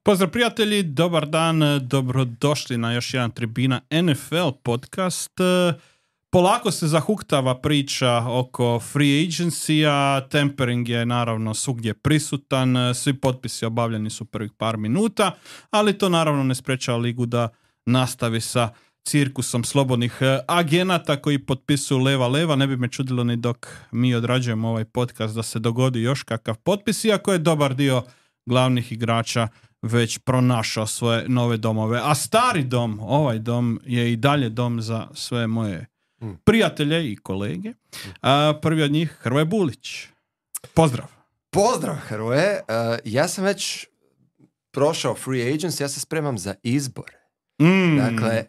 Pozdrav prijatelji, dobar dan, dobrodošli na još jedan Tribina NFL podcast. Polako se zahuktava priča oko free agency-a, tempering je naravno svugdje prisutan, svi potpisi obavljeni su prvih par minuta, ali to naravno ne sprečava ligu da nastavi sa cirkusom slobodnih agenata koji potpisuju leva. Ne bi me čudilo ni dok mi odrađujemo ovaj podcast da se dogodi još kakav potpis, iako je dobar dio glavnih igrača već pronašao svoje nove domove. A stari dom, ovaj dom, je i dalje dom za sve moje prijatelje i kolege. Prvi od njih, Hrvoje Bulić. Pozdrav. Pozdrav, Hrvoje. Ja sam već prošao free agency, ja se spremam za izbor. Dakle,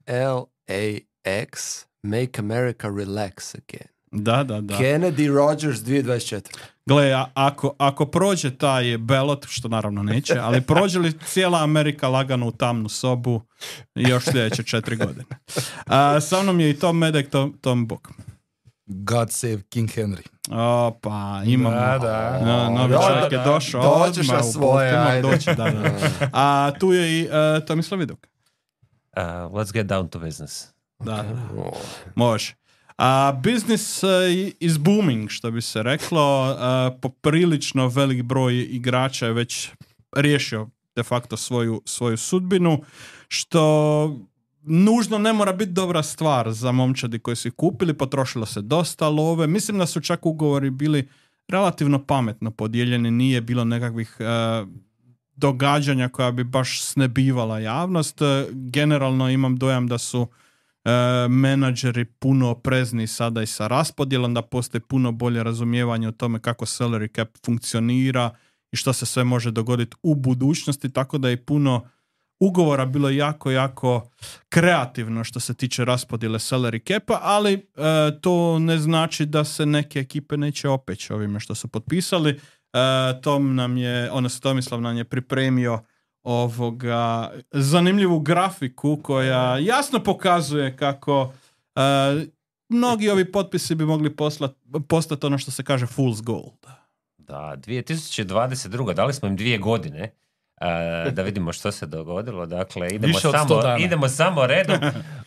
RELAX, Make America Relax Again. Da. Kennedy Rogers 2024. Gle, ako prođe taj ballot, što naravno neće, ali prođe li cijela Amerika lagano u tamnu sobu još sljedeće 4 godine. Sa mnom je i Tom Medek, Tom Bok. God save King Henry. Pa imamo. Novi čovjek je došao. Dođeš na svoje. A tu je i Tomislav Viduk. Let's get down to business. Da. Može. Business is booming, što bi se reklo. Poprilično velik broj igrača je već riješio de facto svoju sudbinu, što nužno ne mora biti dobra stvar za momčadi koji su ih kupili. Potrošilo se dosta love. Mislim da su čak ugovori bili relativno pametno podijeljeni. Nije bilo nekakvih događanja koja bi baš snebivala javnost. Generalno imam dojam da su menadžeri puno oprezni sada i sa raspodjelom, da postoji puno bolje razumijevanje o tome kako salary cap funkcionira i što se sve može dogoditi u budućnosti, tako da je puno ugovora bilo jako kreativno što se tiče raspodjele salary capa, ali to ne znači da se neke ekipe neće opeći ovime što su potpisali. Tomislav nam je pripremio zanimljivu grafiku koja jasno pokazuje kako mnogi ovi potpisi bi mogli postati ono što se kaže fool's gold. Da, 2022. Dali smo im 2 godine da vidimo što se dogodilo. Dakle, idemo samo redom.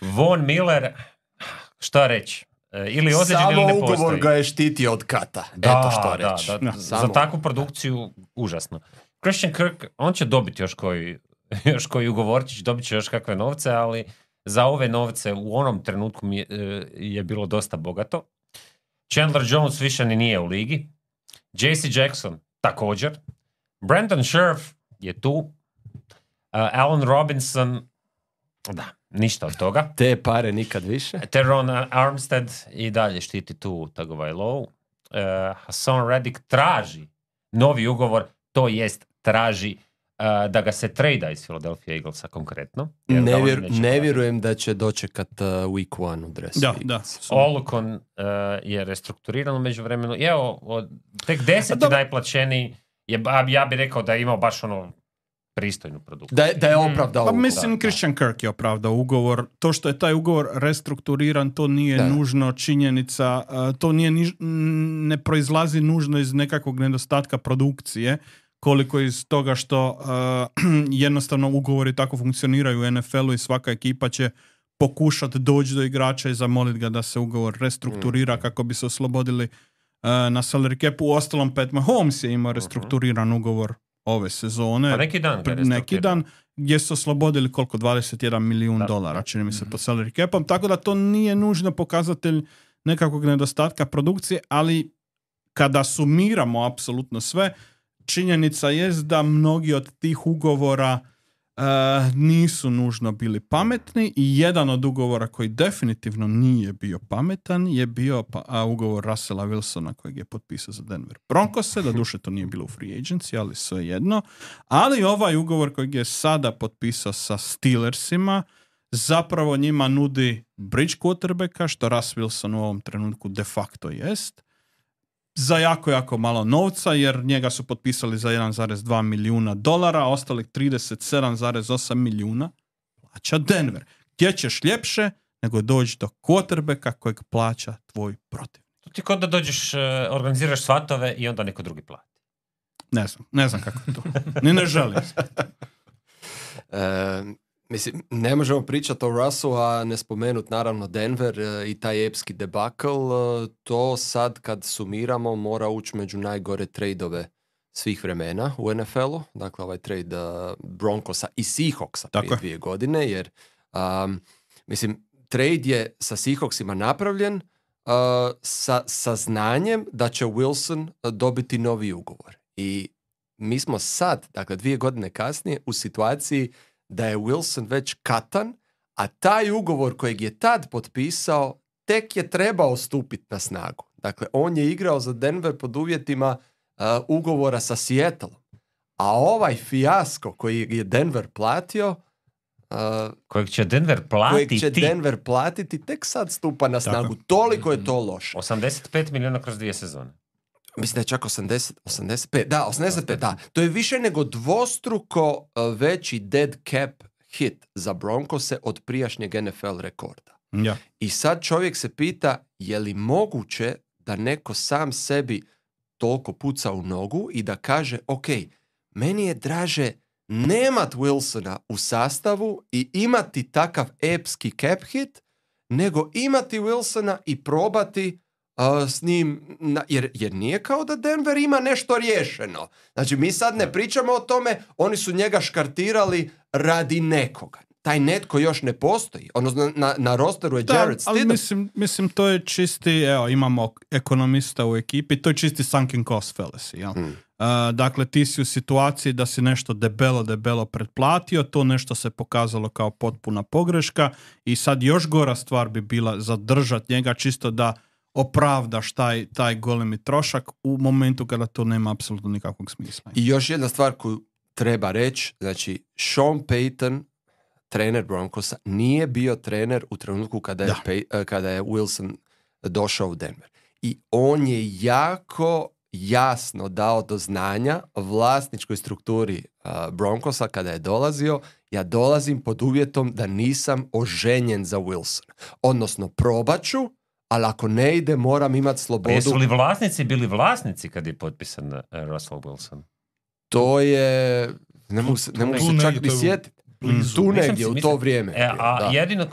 Von Miller, šta reći? Ili ozlijeđen ili ne postoji. Samo ugovor ga je štitio od kata. Eto što reći. Za takvu produkciju užasno. Christian Kirk, on će dobiti još koji ugovorčić, dobit će još kakve novce, ali za ove novce u onom trenutku je bilo dosta bogato. Chandler Jones više ni nije u ligi. JC Jackson također. Brandon Scherf je tu. Allen Robinson, da, ništa od toga. Te pare nikad više. Teron Armstead i dalje štiti tu Tagovailoa. Hassan Reddick traži novi ugovor, to jest traži da ga se trejda iz Philadelphia Eaglesa konkretno. Ne vjerujem da će dočekat week 1 u dresu. Da. Olukon je restrukturiran u međuvremenu. Evo, tek 10. najplaćeniji je, ja bih rekao da je imao baš pristojnu produkciju. Da je opravdao ugovor. Mislim, Christian Kirk je opravdao ugovor. To što je taj ugovor restrukturiran, to nije nužno činjenica, to ne proizlazi nužno iz nekakvog nedostatka produkcije, koliko iz toga što jednostavno ugovori tako funkcioniraju u NFL-u i svaka ekipa će pokušati doći do igrača i zamoliti ga da se ugovor restrukturira kako bi se oslobodili na salary capu. Uostalom, Pat Mahomes je imao restrukturiran ugovor ove sezone. Pa neki dan gdje su oslobodili koliko? $21 milijun, čini mi se, pod salary capom. Tako da to nije nužno pokazatelj nekakvog nedostatka produkcije, ali kada sumiramo apsolutno sve, činjenica jest da mnogi od tih ugovora nisu nužno bili pametni i jedan od ugovora koji definitivno nije bio pametan je bio ugovor Russella Wilsona kojeg je potpisao za Denver Broncose. Doduše to nije bilo u free agency, ali svejedno. Ali ovaj ugovor kojeg je sada potpisao sa Steelersima zapravo njima nudi bridge quarterbacka, što Russ Wilson u ovom trenutku de facto jest, za jako malo novca, jer njega su potpisali za $1,2 milijuna, ostalih 37,8 milijuna plaća Denver. Gdje ćeš ljepše nego doći do quarterbacka kojeg plaća tvoj protivnik. To ti kod da dođeš, organiziraš svatove i onda neko drugi plati. Ne znam kako je to. Ni ne želim. Mislim, ne možemo pričati o Russu, a ne spomenut naravno Denver i taj epski debakl. To sad kad sumiramo mora ući među najgore trejdove svih vremena u NFL-u. Dakle, ovaj trade Broncosa i Seahawksa prije 2 godine, jer mislim, trade je sa Seahawksima napravljen sa znanjem da će Wilson dobiti novi ugovor. I mi smo sad, dakle 2 godine kasnije, u situaciji da je Wilson već katan, a taj ugovor kojeg je tad potpisao tek je trebao stupiti na snagu. Dakle, on je igrao za Denver pod uvjetima ugovora sa Seattleom. A ovaj fijasko koji je Denver platio, kojeg će Denver platiti, tek sad stupa na snagu. Tako. Toliko je to loše. 85 milijuna kroz 2 sezone. Mislim da je čak 85. Da, 85, da. To je više nego dvostruko veći dead cap hit za Broncose od prijašnjeg NFL rekorda. Ja. I sad čovjek se pita, je li moguće da neko sam sebi toliko puca u nogu i da kaže, ok, meni je draže nemat Wilsona u sastavu i imati takav epski cap hit, nego imati Wilsona i probati s njim, jer nije kao da Denver ima nešto riješeno. Znači, mi sad ne pričamo o tome, oni su njega škartirali radi nekoga. Taj netko još ne postoji. Ono, na rosteru je Jared Stidham. Ali mislim, to je čisti, evo, imamo ekonomista u ekipi, to je čisti sunken cost fallacy, jel? Dakle, ti si u situaciji da si nešto debelo pretplatio, to nešto se pokazalo kao potpuna pogreška i sad još gora stvar bi bila zadržati njega čisto da opravdaš taj golemi trošak u momentu kada to nema apsolutno nikakvog smisla. I još jedna stvar koju treba reći, znači Sean Payton, trener Broncosa, nije bio trener u trenutku kada je Wilson došao u Denver. I on je jako jasno dao do znanja vlasničkoj strukturi Broncosa kada je dolazio, ja dolazim pod uvjetom da nisam oženjen za Wilsona. Odnosno, probaću, ali ako ne ide, moram imati slobodu. Jesu li vlasnici bili vlasnici kad je potpisan Russell Wilson? To je... Ne mogu se čak ni sjetiti. Tu negdje, u to vrijeme. Jedino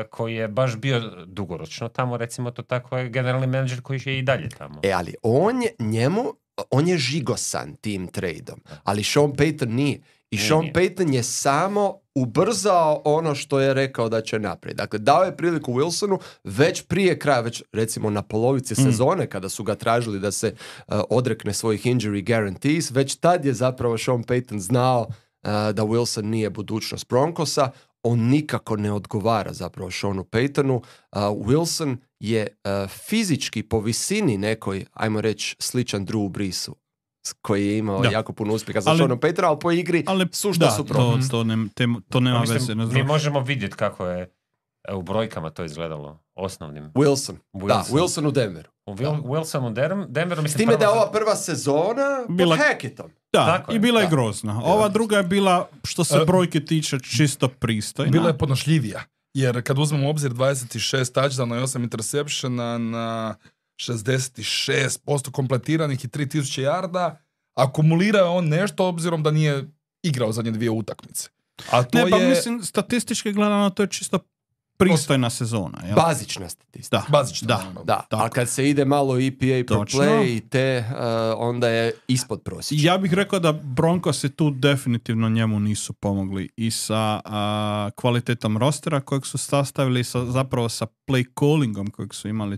koji je baš bio dugoročno tamo, recimo to tako, je generalni menadžer koji je i dalje tamo. Ali on je žigosan tim tradeom, ali Sean Payton nije. I Sean Payton je samo ubrzao ono što je rekao da će napraviti. Dakle, dao je priliku Wilsonu već prije kraja, već recimo na polovici sezone, kada su ga tražili da se odrekne svojih injury guarantees, već tad je zapravo Sean Payton znao da Wilson nije budućnost Broncosa. On nikako ne odgovara zapravo Seanu Paytonu. Wilson je fizički po visini nekoj, ajmo reći, sličan Drew Breesu, koji je imao jako puno uspjeha za Seanom Paytona, ali po igri sušta suprotno. To nema veze. Mi možemo vidjeti kako je u brojkama to izgledalo osnovnim. Wilson u Denveru. Wilson u Denveru. S time da je ova prva sezona pod Hackettom. Da, i bila je grozna. Ova druga je bila, što se brojke tiče, čisto pristojna. Bila je podnošljivija. Jer kad uzmemo u obzir 26 touchdowna i 8 interseptiona na 66% kompletiranih i 3000 yarda, akumulirao je on nešto obzirom da nije igrao zadnje 2 utakmice. A to mislim, statistički gledano to je čisto pristojna sezona. Jel? Bazična statistika. Da. A kad se ide malo EPA per play i te, onda je ispod prosječa. Ja bih rekao da Broncosi tu definitivno njemu nisu pomogli i sa kvalitetom rostera kojeg su sastavili, zapravo sa play callingom kojeg su imali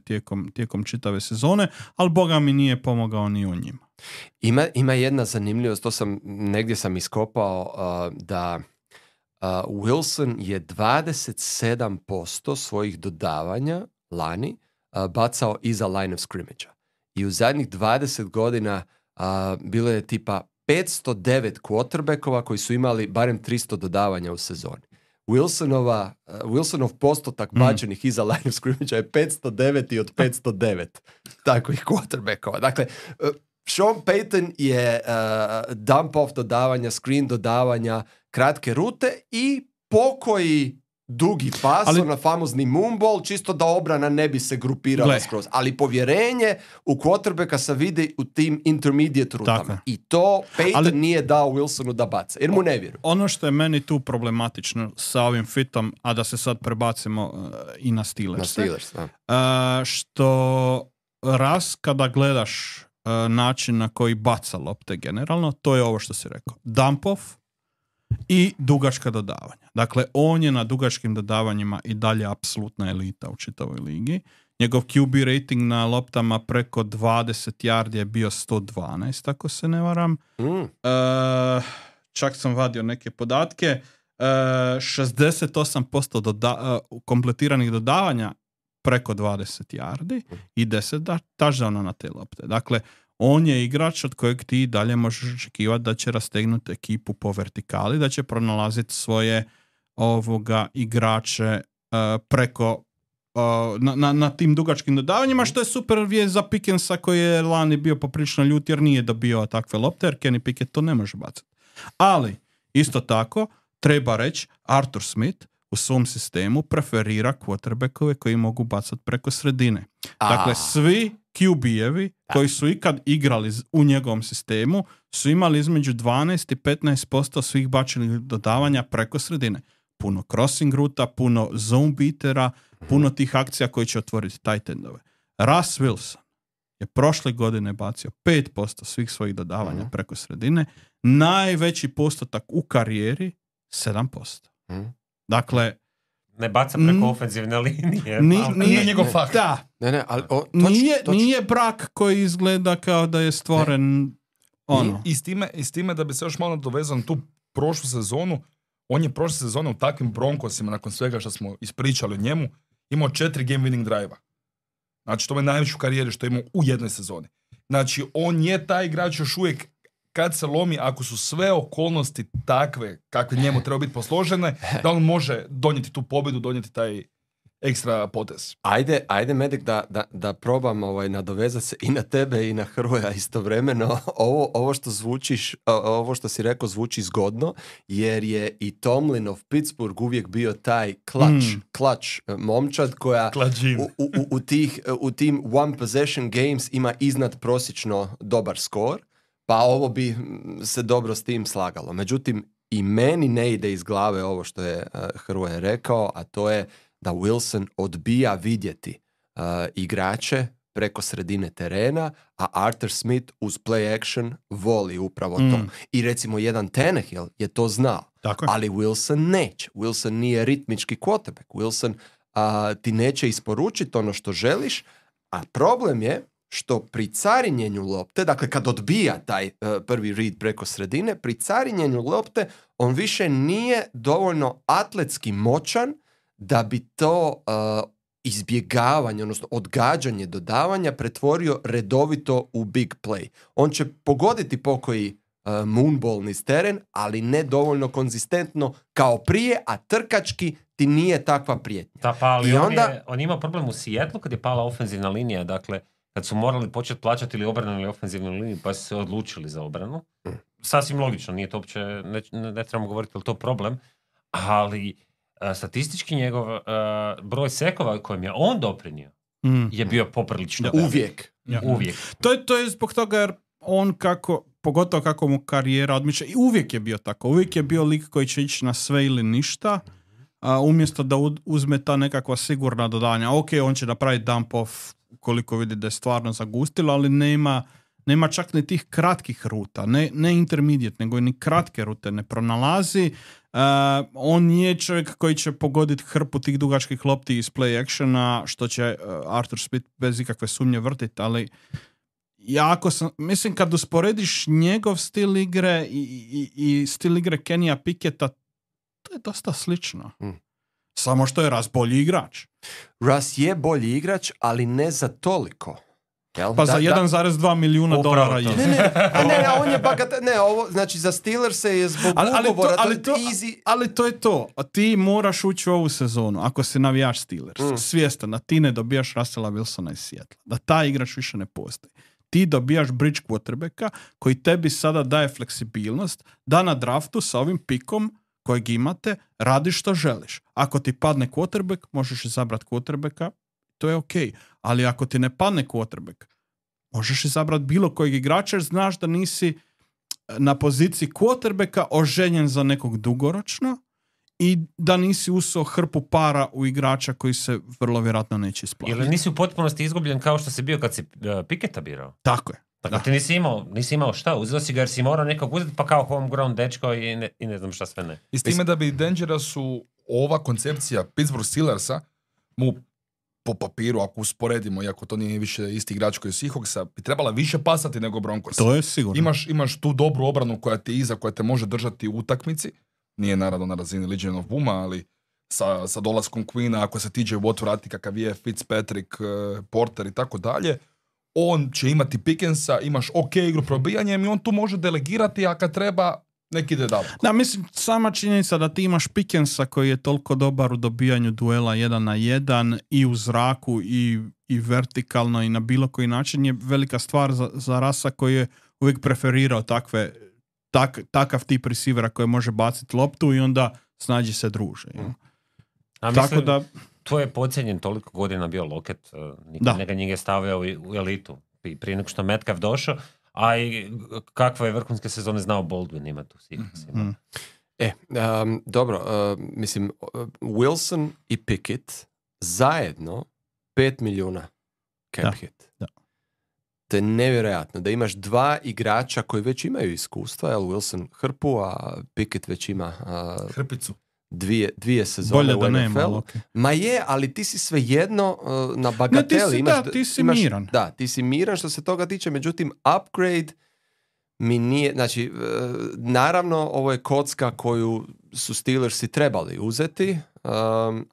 tijekom čitave sezone, ali Boga mi nije pomogao ni u njima. Ima jedna zanimljivost, negdje sam iskopao da Wilson je 27% svojih dodavanja lani bacao iza line of scrimmage-a. I u zadnjih 20 godina bilo je tipa 509 quarterbackova koji su imali barem 300 dodavanja u sezoni. Wilsonov postotak bačenih iza line of scrimmage-a je 509 od 509 takvih quarterbackova. Dakle, Sean Payton je dump off dodavanja, screen dodavanja, kratke rute i pokoji dugi pas, na famozni moonball, čisto da obrana ne bi se grupirala skroz. Ali povjerenje u quarterbacka se vidi u tim intermediate rutama. I to Peyton nije dao Wilsonu da baca, jer mu ne vjeruju. Ono što je meni tu problematično sa ovim fitom, a da se sad prebacimo i na Steelers. Što kada gledaš način na koji baca lopte generalno, to je ovo što si rekao. Dump off i dugačka dodavanja. Dakle, on je na dugačkim dodavanjima i dalje apsolutna elita u čitavoj ligi. Njegov QB rating na loptama preko 20 yardi je bio 112, ako se ne varam. Čak sam vadio neke podatke. 68% kompletiranih dodavanja preko 20 yardi i 10 touchdowna na te lopte. Dakle, on je igrač od kojeg ti dalje možeš očekivati da će rastegnuti ekipu po vertikali, da će pronalaziti svoje igrače preko na tim dugačkim dodavanjima, što je super vijest za Pickensa koji je lani bio poprilično ljut jer nije dobio takve lopte, jer Kenny Pickett to ne može bacati. Ali, isto tako, treba reći, Arthur Smith u svom sistemu preferira quarterbackove koji mogu bacati preko sredine. Dakle, svi QB-evi koji su ikad igrali u njegovom sistemu su imali između 12 i 15% svih bačenih dodavanja preko sredine. Puno crossing ruta, puno zone beatera, puno tih akcija koji će otvoriti tight endove. Russ Wilson je prošle godine bacio 5% svih svojih dodavanja preko sredine. Najveći postotak u karijeri 7%. Dakle, ne baca preko ofenzivne linije. Nije njegov fakt. Da. Ali, nije brak koji izgleda kao da je stvoren I s time da bi se još malo dovezao na tu prošlu sezonu, on je prošle sezone u takvim Broncosima, nakon svega što smo ispričali o njemu, imao 4 game winning drive-a. Znači, to je najveći u karijeri što je imao u jednoj sezoni. Znači, on je taj igrač još uvijek kad se lomi, ako su sve okolnosti takve kakve njemu treba biti posložene, da on može donijeti tu pobjedu, donijeti taj ekstra potez. Ajde Medik, da probam nadovezati se i na tebe i na Hrvoja istovremeno. Ovo što si rekao zvuči zgodno, jer je i Tomlinov Pittsburgh uvijek bio taj clutch momčad koja u tim one possession games ima iznad prosječno dobar skor. Pa ovo bi se dobro s tim slagalo. Međutim, i meni ne ide iz glave ovo što je Hrvoje rekao, a to je da Wilson odbija vidjeti igrače preko sredine terena, a Arthur Smith uz play action voli upravo to. I recimo jedan Tannehill je to znao, ali Wilson neće. Wilson nije ritmički quarterback. Wilson ti neće isporučiti ono što želiš, a problem je što pri carinjenju lopte, dakle kad odbija taj prvi read preko sredine, pri carinjenju lopte on više nije dovoljno atletski moćan da bi to izbjegavanje, odnosno odgađanje dodavanja pretvorio redovito u big play. On će pogoditi pokoji moonball niz teren, ali ne dovoljno konzistentno kao prije, a trkački ti nije takva prijetnja. Da, pa ali on ima problem u Seattlu kad je pala ofenzivna linija, dakle kad su morali početi plaćati ili obranu ili ofenzivnu liniju, pa su se odlučili za obranu. Sasvim logično, nije to uopće, ne trebamo govoriti je li to problem, ali statistički njegov broj sekova kojim je on doprinio je bio poprilično. Uvijek. Uvijek. To je zbog toga jer on pogotovo kako mu karijera odmiče, i uvijek je bio tako. Uvijek je bio lik koji će ići na sve ili ništa, umjesto da uzme ta nekakva sigurna dodanja. Ok, on će napraviti dump off koliko vidi da je stvarno zagustilo, ali nema čak ni tih kratkih ruta, ne intermediate, nego ni kratke rute ne pronalazi. On je čovjek koji će pogoditi hrpu tih dugačkih lopti iz play actiona, što će Arthur Smith bez ikakve sumnje vrtiti, ali mislim kad usporediš njegov stil igre i stil igre Kennya Picketta, to je dosta slično. Samo što je Russ bolji igrač. Russ je bolji igrač, ali ne za toliko. Jel? Pa za $1,2 milijuna je. Ne, on je ovo, znači za Steelers je zbog ugovora, ali to je to. Ti moraš ući u ovu sezonu, ako si navijač Steelers, svjestan da ti ne dobijaš Russella Wilsona iz Seattle, da taj igrač više ne postoji. Ti dobijaš bridge quarterbacka koji tebi sada daje fleksibilnost da na draftu sa ovim pikom kojeg imate, radi što želiš. Ako ti padne quarterback, možeš izabrati quarterbacka, to je ok. Ali ako ti ne padne quarterback, možeš izabrati bilo kojeg igrača jer znaš da nisi na poziciji quarterbacka oženjen za nekog dugoročno i da nisi usao hrpu para u igrača koji se vrlo vjerojatno neće isplatiti. Ili nisi u potpunosti izgubljen kao što si bio kad si Picketta birao. Tako je. Dakle, ti nisi imao šta, uzeo si ga jer si morao nekog uzeti pa kao homegrown dečko i ne znam šta sve ne. I s time da bi Dangerousu ova koncepcija Pittsburgh Steelersa mu po papiru, ako usporedimo, iako to nije više isti igrač koji je Seahawksa, bi trebala više pasati nego Broncos. To je sigurno. Imaš tu dobru obranu koja ti iza, koja te može držati u utakmici. Nije naravno na razini Legion of Booma, ali sa dolaskom Queena, ako se TJ Watt vrati kakav je, Fitzpatrick, Porter i tako dalje, on će imati Pickensa, imaš ok igru probijanjem i on tu može delegirati, a kad treba, neki ide daleko. Da, mislim, sama činjenica da ti imaš Pickensa koji je toliko dobar u dobijanju duela 1 na 1 i u zraku i vertikalno i na bilo koji način je velika stvar za Rasa koji je uvijek preferirao takav tip receivera koji može baciti loptu i onda snađi se druže. A Tako mislim, da... to je podcijenjen toliko godina bio Lockett, neka njega je stavio u elitu prije nego što Metcalf došao, a i kakve je vrhunske sezone znao Baldwin ima tu sigurno. Dobro, mislim, Wilson i Pickett zajedno 5 milijuna cap hit. Da. To je nevjerojatno da imaš dva igrača koji već imaju iskustva, jel Wilson hrpu, a Pickett već ima Hrpicu. dvije sezone bolje u da NFL. nema, okay. Ma je, ali ti si svejedno na bagateli. Ti si miran. Da, ti si miran što se toga tiče, međutim upgrade mi nije, znači naravno ovo je kocka koju su Steelersi trebali uzeti,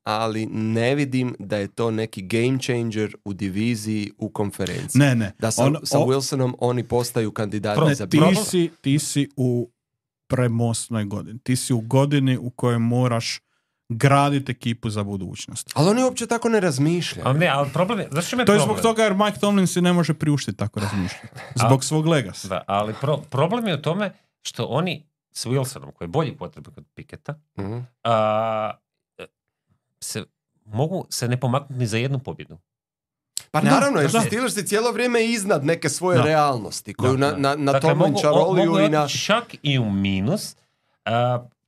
ali ne vidim da je to neki game changer u diviziji u konferenciji. Ne. Da sa Wilsonom oni postaju kandidati za ti si u premosnoj godini. Ti si u godini u kojoj moraš graditi ekipu za budućnost. Ali oni uopće tako ne razmišljaju. Ali problem je... To je zbog toga jer Mike Tomlin si ne može priuštiti tako razmišljati. Zbog svog legasa. Da, ali problem je u tome što oni s Wilsonom, koji je bolji potreban kod Picketta, mogu se ne pomaknuti ni za jednu pobjedu. Pa naravno, jer su Steelersi cijelo vrijeme iznad neke svoje realnosti, koju na Tomlin čaroliju i na... Čak i u minus,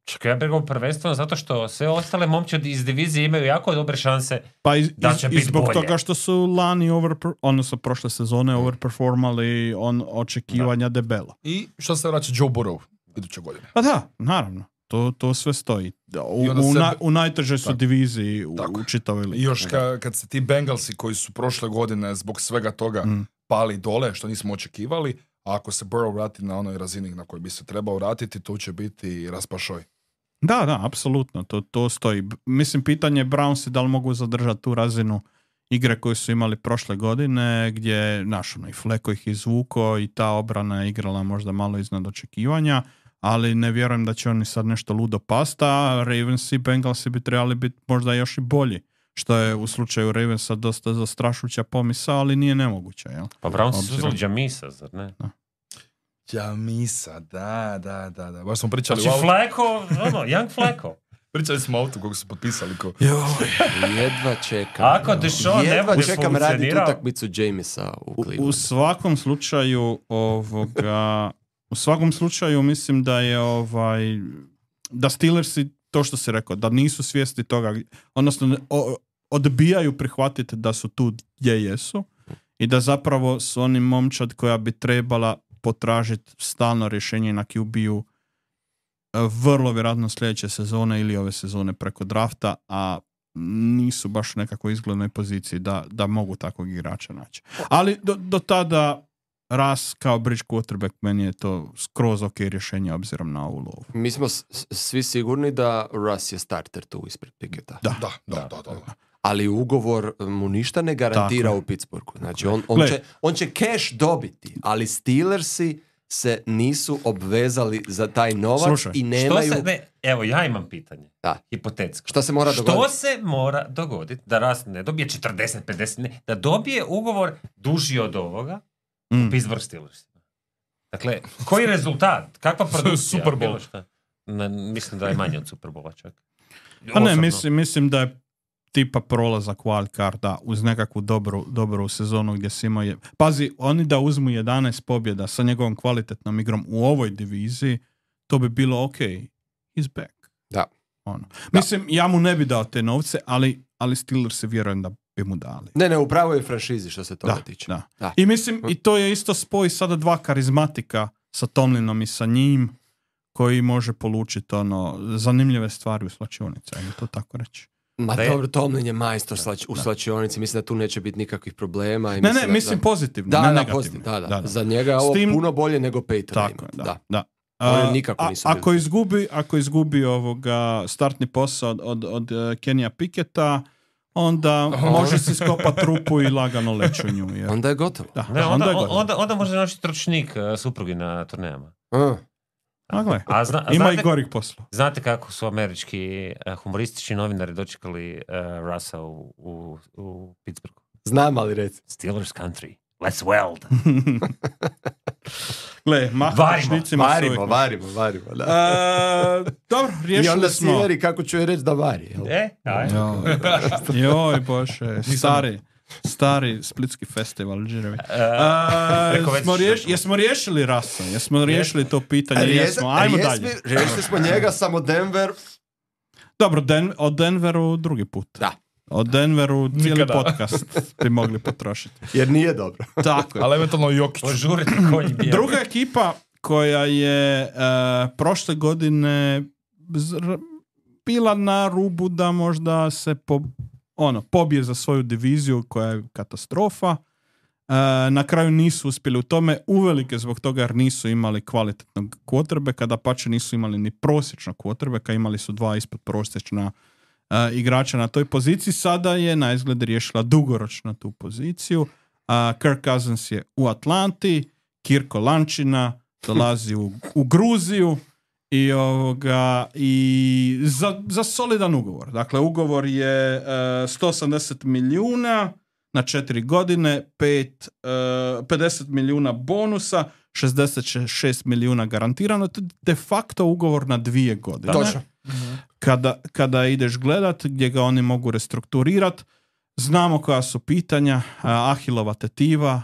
čak ja bih rekao prvenstveno zato što sve ostale momčadi iz divizije imaju jako dobre šanse da će biti bolje. I zbog toga što su lani odnosno prošle sezone overperformali očekivanja debelo. I što se vraća Joe Burrow iduće godine? Pa da, naravno. To sve stoji. U najtežoj su diviziji u čitavoj ligi. I još kad se ti Bengalsi koji su prošle godine zbog svega toga pali dole, što nismo očekivali, a ako se Burrow vrati na onoj razini na kojoj bi se trebao vratiti, to će biti raspašoj. Da, apsolutno. To stoji. Mislim, pitanje Brownsi da li mogu zadržati tu razinu igre koju su imali prošle godine, gdje i Fleko ih izvuko i ta obrana je igrala možda malo iznad očekivanja, ali ne vjerujem da će oni sad nešto ludo pasta, a Ravens i Bengalsi bi trebali biti možda još i bolji, što je u slučaju Ravensa dosta zastrašujuća pomisao, ali nije nemoguće. Jel? Pa Browns su uzeli Jamisa, zar ne? Da. Jamisa, da. Baš smo pričali znači Fleko, young Fleko. Pričali smo o autu kog su potpisali. Jedva čekam. Ako Deshaun ne bude čekam raditi utakmicu Jamisa u Clevelandu. U svakom slučaju mislim da je da Steelersi, to što si rekao, da nisu svjesni toga, odnosno odbijaju prihvatiti da su tu gdje jesu i da zapravo su oni momčad koja bi trebala potražiti stalno rješenje na QB-u vrlo vjerojatno sljedeće sezone ili ove sezone preko drafta, a nisu baš u nekakvoj izglednoj poziciji da mogu takvog igrača naći. Ali do tada Russ kao bridge quarterback, meni je to skroz ok rješenje obzirom na ovu lovu. Mi smo svi sigurni da Russ je starter tu ispred Picketta. Da. Ali ugovor mu ništa ne garantira u Pittsburghu. Znači on će cash dobiti, ali Steelersi se nisu obvezali za taj novac i nemaju... Evo, ja imam pitanje. Hipotetsko. Što se mora dogoditi? Što se mora dogoditi da Russ ne dobije 40, 50, ne, da dobije ugovor duži od ovoga u Pittsburgh Steelersima? Dakle, koji rezultat? Kakva produkcija? Super Bowl. mislim da je manje od Superbola čak. Pa ne, Osobno. mislim da je tipa prolazak wildcarda uz nekakvu dobru sezonu gdje si imao... Pazi, oni da uzmu 11 pobjeda sa njegovom kvalitetnom igrom u ovoj diviziji, to bi bilo ok. He's back. Da. Ono. Mislim, ja mu ne bi dao te novce, ali Steelers vjerujem da bi mu dali. Ne, upravo je franšizi što se toga tiče. Da. I mislim, i to je isto spoj sada dva karizmatika sa Tomlinom i sa njim, koji može polučiti zanimljive stvari u slačionici, ajmo to tako reći. Ma dobro, Tomlin je majstor u slačionici, mislim da tu neće biti nikakvih problema. I mislim pozitivno, ne negativno. Da. Za njega je ovo puno bolje nego Peyton. Tako, da. Nikako nisu ako izgubi ovoga startni posao od Kenija Picketa, onda može si skopati rupu i lagano leći u nju. Jer... Onda je gotovo. Onda može nositi ručnik suprugi na turnejama. Ima i gorih posla. Znate kako su američki humoristični novinari dočekali Russa u Pittsburghu? Znam, ali reci. Steelers country. Let's weld. Gle, varimo. Dobro, riješili smo. I onda Siveri, kako ću je reći da vari. Joj, bože, stari splitski festival, džirevi. Jesmo riješili Russa? Jesmo riješili to pitanje? Ajmo dalje. Riješili smo njega, samo Denver. Dobro, o Denveru drugi put. Da. O Denveru cijeli podcast bi mogli potrošiti. Jer nije dobro. Tako je. Ali eventualno Jokić. Druga ekipa koja je prošle godine bila na rubu da možda se pobije za svoju diviziju koja je katastrofa. Na kraju nisu uspjeli u tome, uvelike zbog toga jer nisu imali kvalitetnog quarterbacka, dapače nisu imali ni prosječnog quarterbacka, imali su 2 ispod prosječna igrača na toj poziciji. Sada je na izgled riješila dugoročno tu poziciju. Kirk Cousins je u Atlanti, Kirko Lančina dolazi u Gruziju i za solidan ugovor. Dakle, ugovor je 180 milijuna na 4 godine, 50 milijuna bonusa, 66 milijuna garantirano. To je de facto ugovor na 2 godine. Točno. Kada ideš gledat gdje ga oni mogu restrukturirati, znamo koja su pitanja, Ahilova tetiva,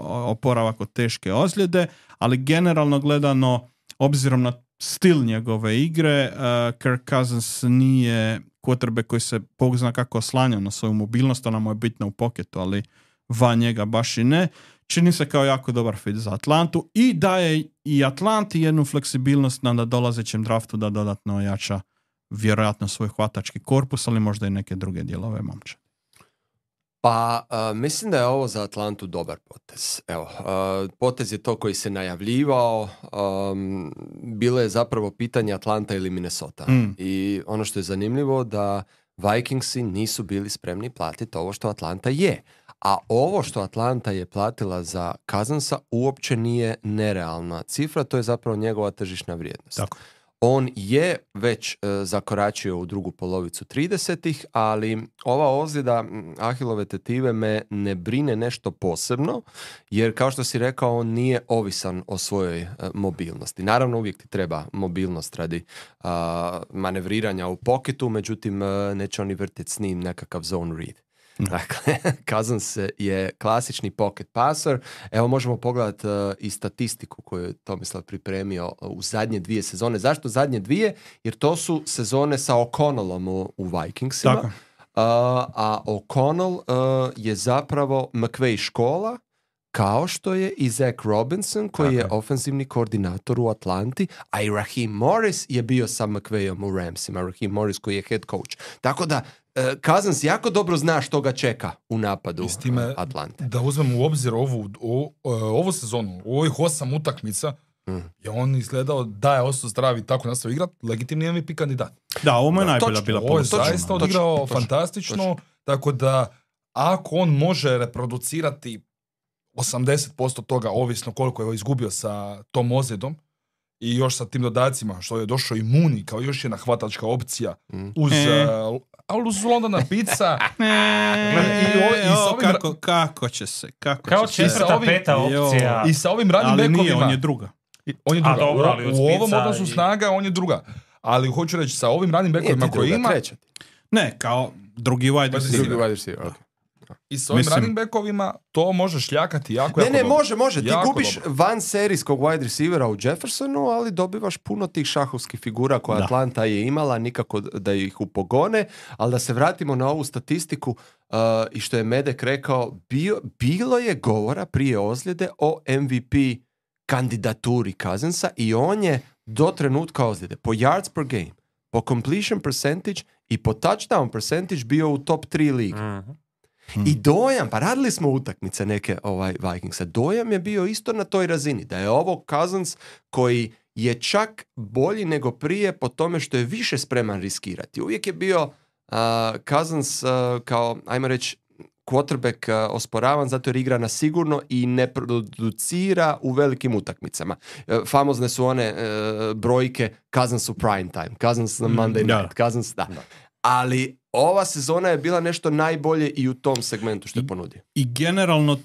oporavak od teške ozljede, ali generalno gledano, obzirom na stil njegove igre, Kirk Cousins nije quarterback koji se Bog zna kako oslanja na svoju mobilnost, ona mu je bitna u poketu, ali van njega baš i ne. Čini se kao jako dobar fit za Atlantu i daje i Atlanti jednu fleksibilnost na dolazećem draftu da dodatno ojača vjerojatno svoj hvatački korpus, ali možda i neke druge dijelove momčadi. Pa, mislim da je ovo za Atlantu dobar potez. Evo, potez je to koji se najavljivao. Bilo je zapravo pitanje Atlanta ili Minnesota. I ono što je zanimljivo da Vikingsi nisu bili spremni platiti ovo što Atlanta je. A ovo što Atlanta je platila za Cousinsa uopće nije nerealna cifra, to je zapravo njegova tržišna vrijednost. Tako. On je već zakoračio u drugu polovicu 30-ih, ali ova ozljeda Ahilove tetive me ne brine nešto posebno, jer kao što si rekao, on nije ovisan o svojoj mobilnosti. Naravno, uvijek ti treba mobilnost radi manevriranja u poketu, međutim, neće oni vrtiti s njim nekakav zone read. Dakle, Cousins je klasični pocket passer. Evo možemo pogledati i statistiku koju je Tomislav pripremio u zadnje 2 sezone. Zašto zadnje 2? Jer to su sezone sa O'Connellom u Vikingsima. A O'Connell je zapravo McVay škola, kao što je i Zach Robinson, koji je ofenzivni koordinator u Atlanti, a i Raheem Morris je bio sa McVayom u Ramsima. Raheem Morris koji je head coach. Tako da Cousins jako dobro zna što ga čeka u napadu Atlante. Da uzmemo u obzir ovu sezonu, u ovih 8 utakmica, je on izgledao da je ostao zdrav i tako nastavio igrat, legitimni MVP kandidat. Da, ovo je najbolja bila ovo je zaista odigrao fantastično, tako da ako on može reproducirati 80% toga, ovisno koliko je izgubio sa tom ozljedom, i još sa tim dodacima, što je došao i Mooney kao još jedna hvatačka opcija uz Londona Pizza. Kako će se? Kao 4. 5. opcija. I sa ovim running backovima. Ali nije, on je druga. On je druga. dobro, ali od u ovom Spica odnosu snaga on je druga. Ali hoću reći, sa ovim running backovima koji ima... treća. Ne, kao drugi wide Drugi receiver. Drugi wide receiver, ok. I s ovim Mislim- running backovima to može šljakati jako Ne, dobro. može. Ti Jako gubiš dobro. van serijskog wide receivera u Jeffersonu, ali dobivaš puno tih šahovskih figura koje Da. Atlanta je imala, nikako da ih upogone, ali da se vratimo na ovu statistiku i što je Medek rekao, bilo je govora prije ozljede o MVP kandidaturi Cousinsa i on je do trenutka ozljede po yards per game, po completion percentage i po touchdown percentage bio u top 3 ligi. I dojam, pa radili smo utakmice neke Vikingsa, dojam je bio isto na toj razini, da je ovo Cousins koji je čak bolji nego prije po tome što je više spreman riskirati. Uvijek je bio Cousins kao, ajmo reći, quarterback osporavan zato jer igra na sigurno i ne producira u velikim utakmicama. Famozne su one brojke Cousins u prime time, Cousins na Monday night, Cousins, da. Ali ova sezona je bila nešto najbolje i u tom segmentu što je ponudio. I generalno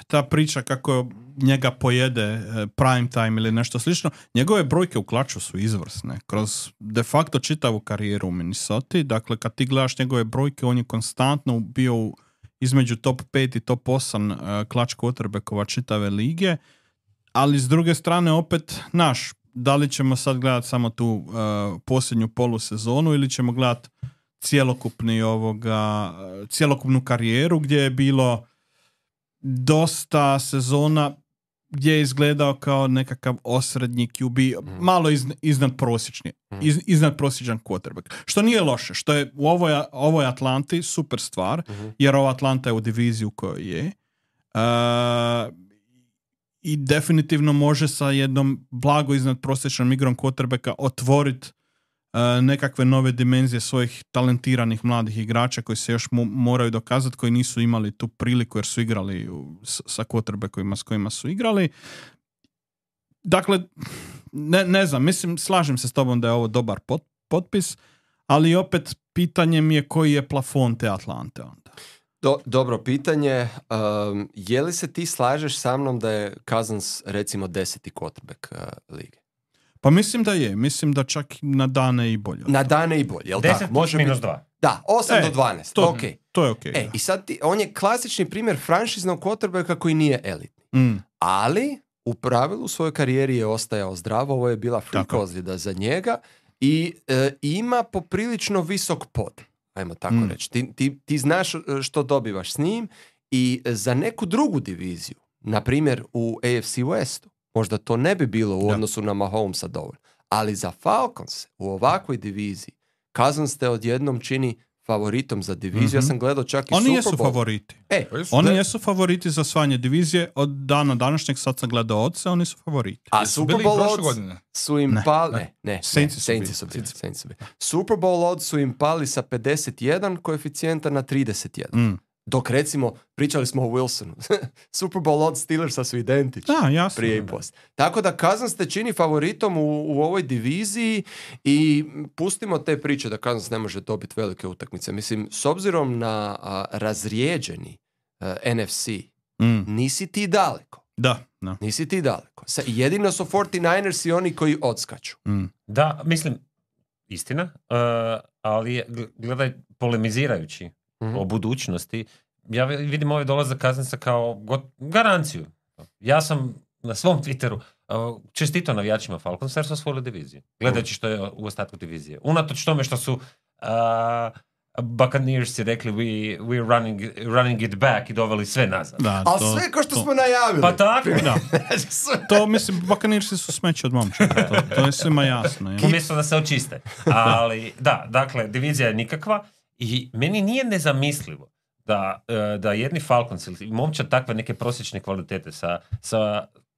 ta priča kako njega pojede prime time ili nešto slično, njegove brojke u klaču su izvrsne. Kroz de facto čitavu karijeru u Minnesota. Dakle, kad ti gledaš njegove brojke, on je konstantno bio između top 5 i top 8 klač quarterbackova čitave lige. Ali s druge strane opet, da li ćemo sad gledati samo tu posljednju polusezonu ili ćemo gledati cjelokupnu karijeru gdje je bilo dosta sezona gdje je izgledao kao nekakav osrednji QB, malo iznad prosječni, iznad prosječan quarterback. Što nije loše, što je u ovoj Atlanti super stvar, jer ova Atlanta je u diviziji u kojoj je. I definitivno može sa jednom blago iznad prosječnom igrom quarterbacka otvoriti nekakve nove dimenzije svojih talentiranih mladih igrača koji se još moraju dokazati, koji nisu imali tu priliku jer su igrali sa quarterbackovima s kojima su igrali. Dakle, ne znam, mislim, slažem se s tobom da je ovo dobar potpis, ali opet pitanje mi je koji je plafon te Atlante onda. Dobro pitanje. Je li se ti slažeš sa mnom da je Cousins recimo 10. quarterback lige? Pa mislim da je. Mislim da čak na dane i bolje. Na dane i bolje, jel 10 tako? plus minus 2. Da, 8 do 12. To je okej. I sad on je klasični primjer franšiznog quarterbacka koji nije elitni. Ali u pravilu u svojoj karijeri je ostajao zdrav. Ovo je bila freak ozljeda za njega i ima poprilično visok pod. Ajmo tako reći. Ti znaš što dobivaš s njim i za neku drugu diviziju, na primjer u AFC Westu, možda to ne bi bilo u odnosu na Mahomesa dovoljno. Ali za Falcons u ovakvoj diviziji Cousins te odjednom čini favoritom za diviziju. Ja sam gledao čak i Oni Super jesu Bowl. favoriti. Oni jesu favoriti za osvajanje divizije. Od dana današnjeg, sad sam gledao odse, oni su favoriti. A Super Bowl odds su im pali... Saintsi su bili. Super Bowl odds su im pali sa 51 koeficijenta na 31. Dok recimo, pričali smo o Wilsonu. Super Bowl odds Steelersa su identični. Jasno. Prije i poslije. Tako da Cousins te čini favoritom u ovoj diviziji i pustimo te priče da Cousins ne može dobiti velike utakmice. Mislim, s obzirom na razrijeđeni NFC, nisi ti daleko. Da. Nisi ti daleko. Jedino su 49ers i oni koji odskaču. Da, mislim, istina, ali gledaj, polemizirajući o budućnosti, ja vidim ovaj dolazak Cousinsa kao garanciju. Ja sam na svom Twitteru čestitao navijačima Falconsa jer su osvojili diviziju. Gledajući što je u ostatku divizije. Unatoč tome što su Buccaneersi rekli we're running it back i doveli sve nazad. Ali sve ko što smo najavili. Pa tako. Da. To mislim, Buccaneersi su smeće od momčaka. To je svima jasno. Umjesto da se očiste. Ali da, dakle, divizija je nikakva. I meni nije nezamislivo da jedni Falcons ili momčad takve neke prosječne kvalitete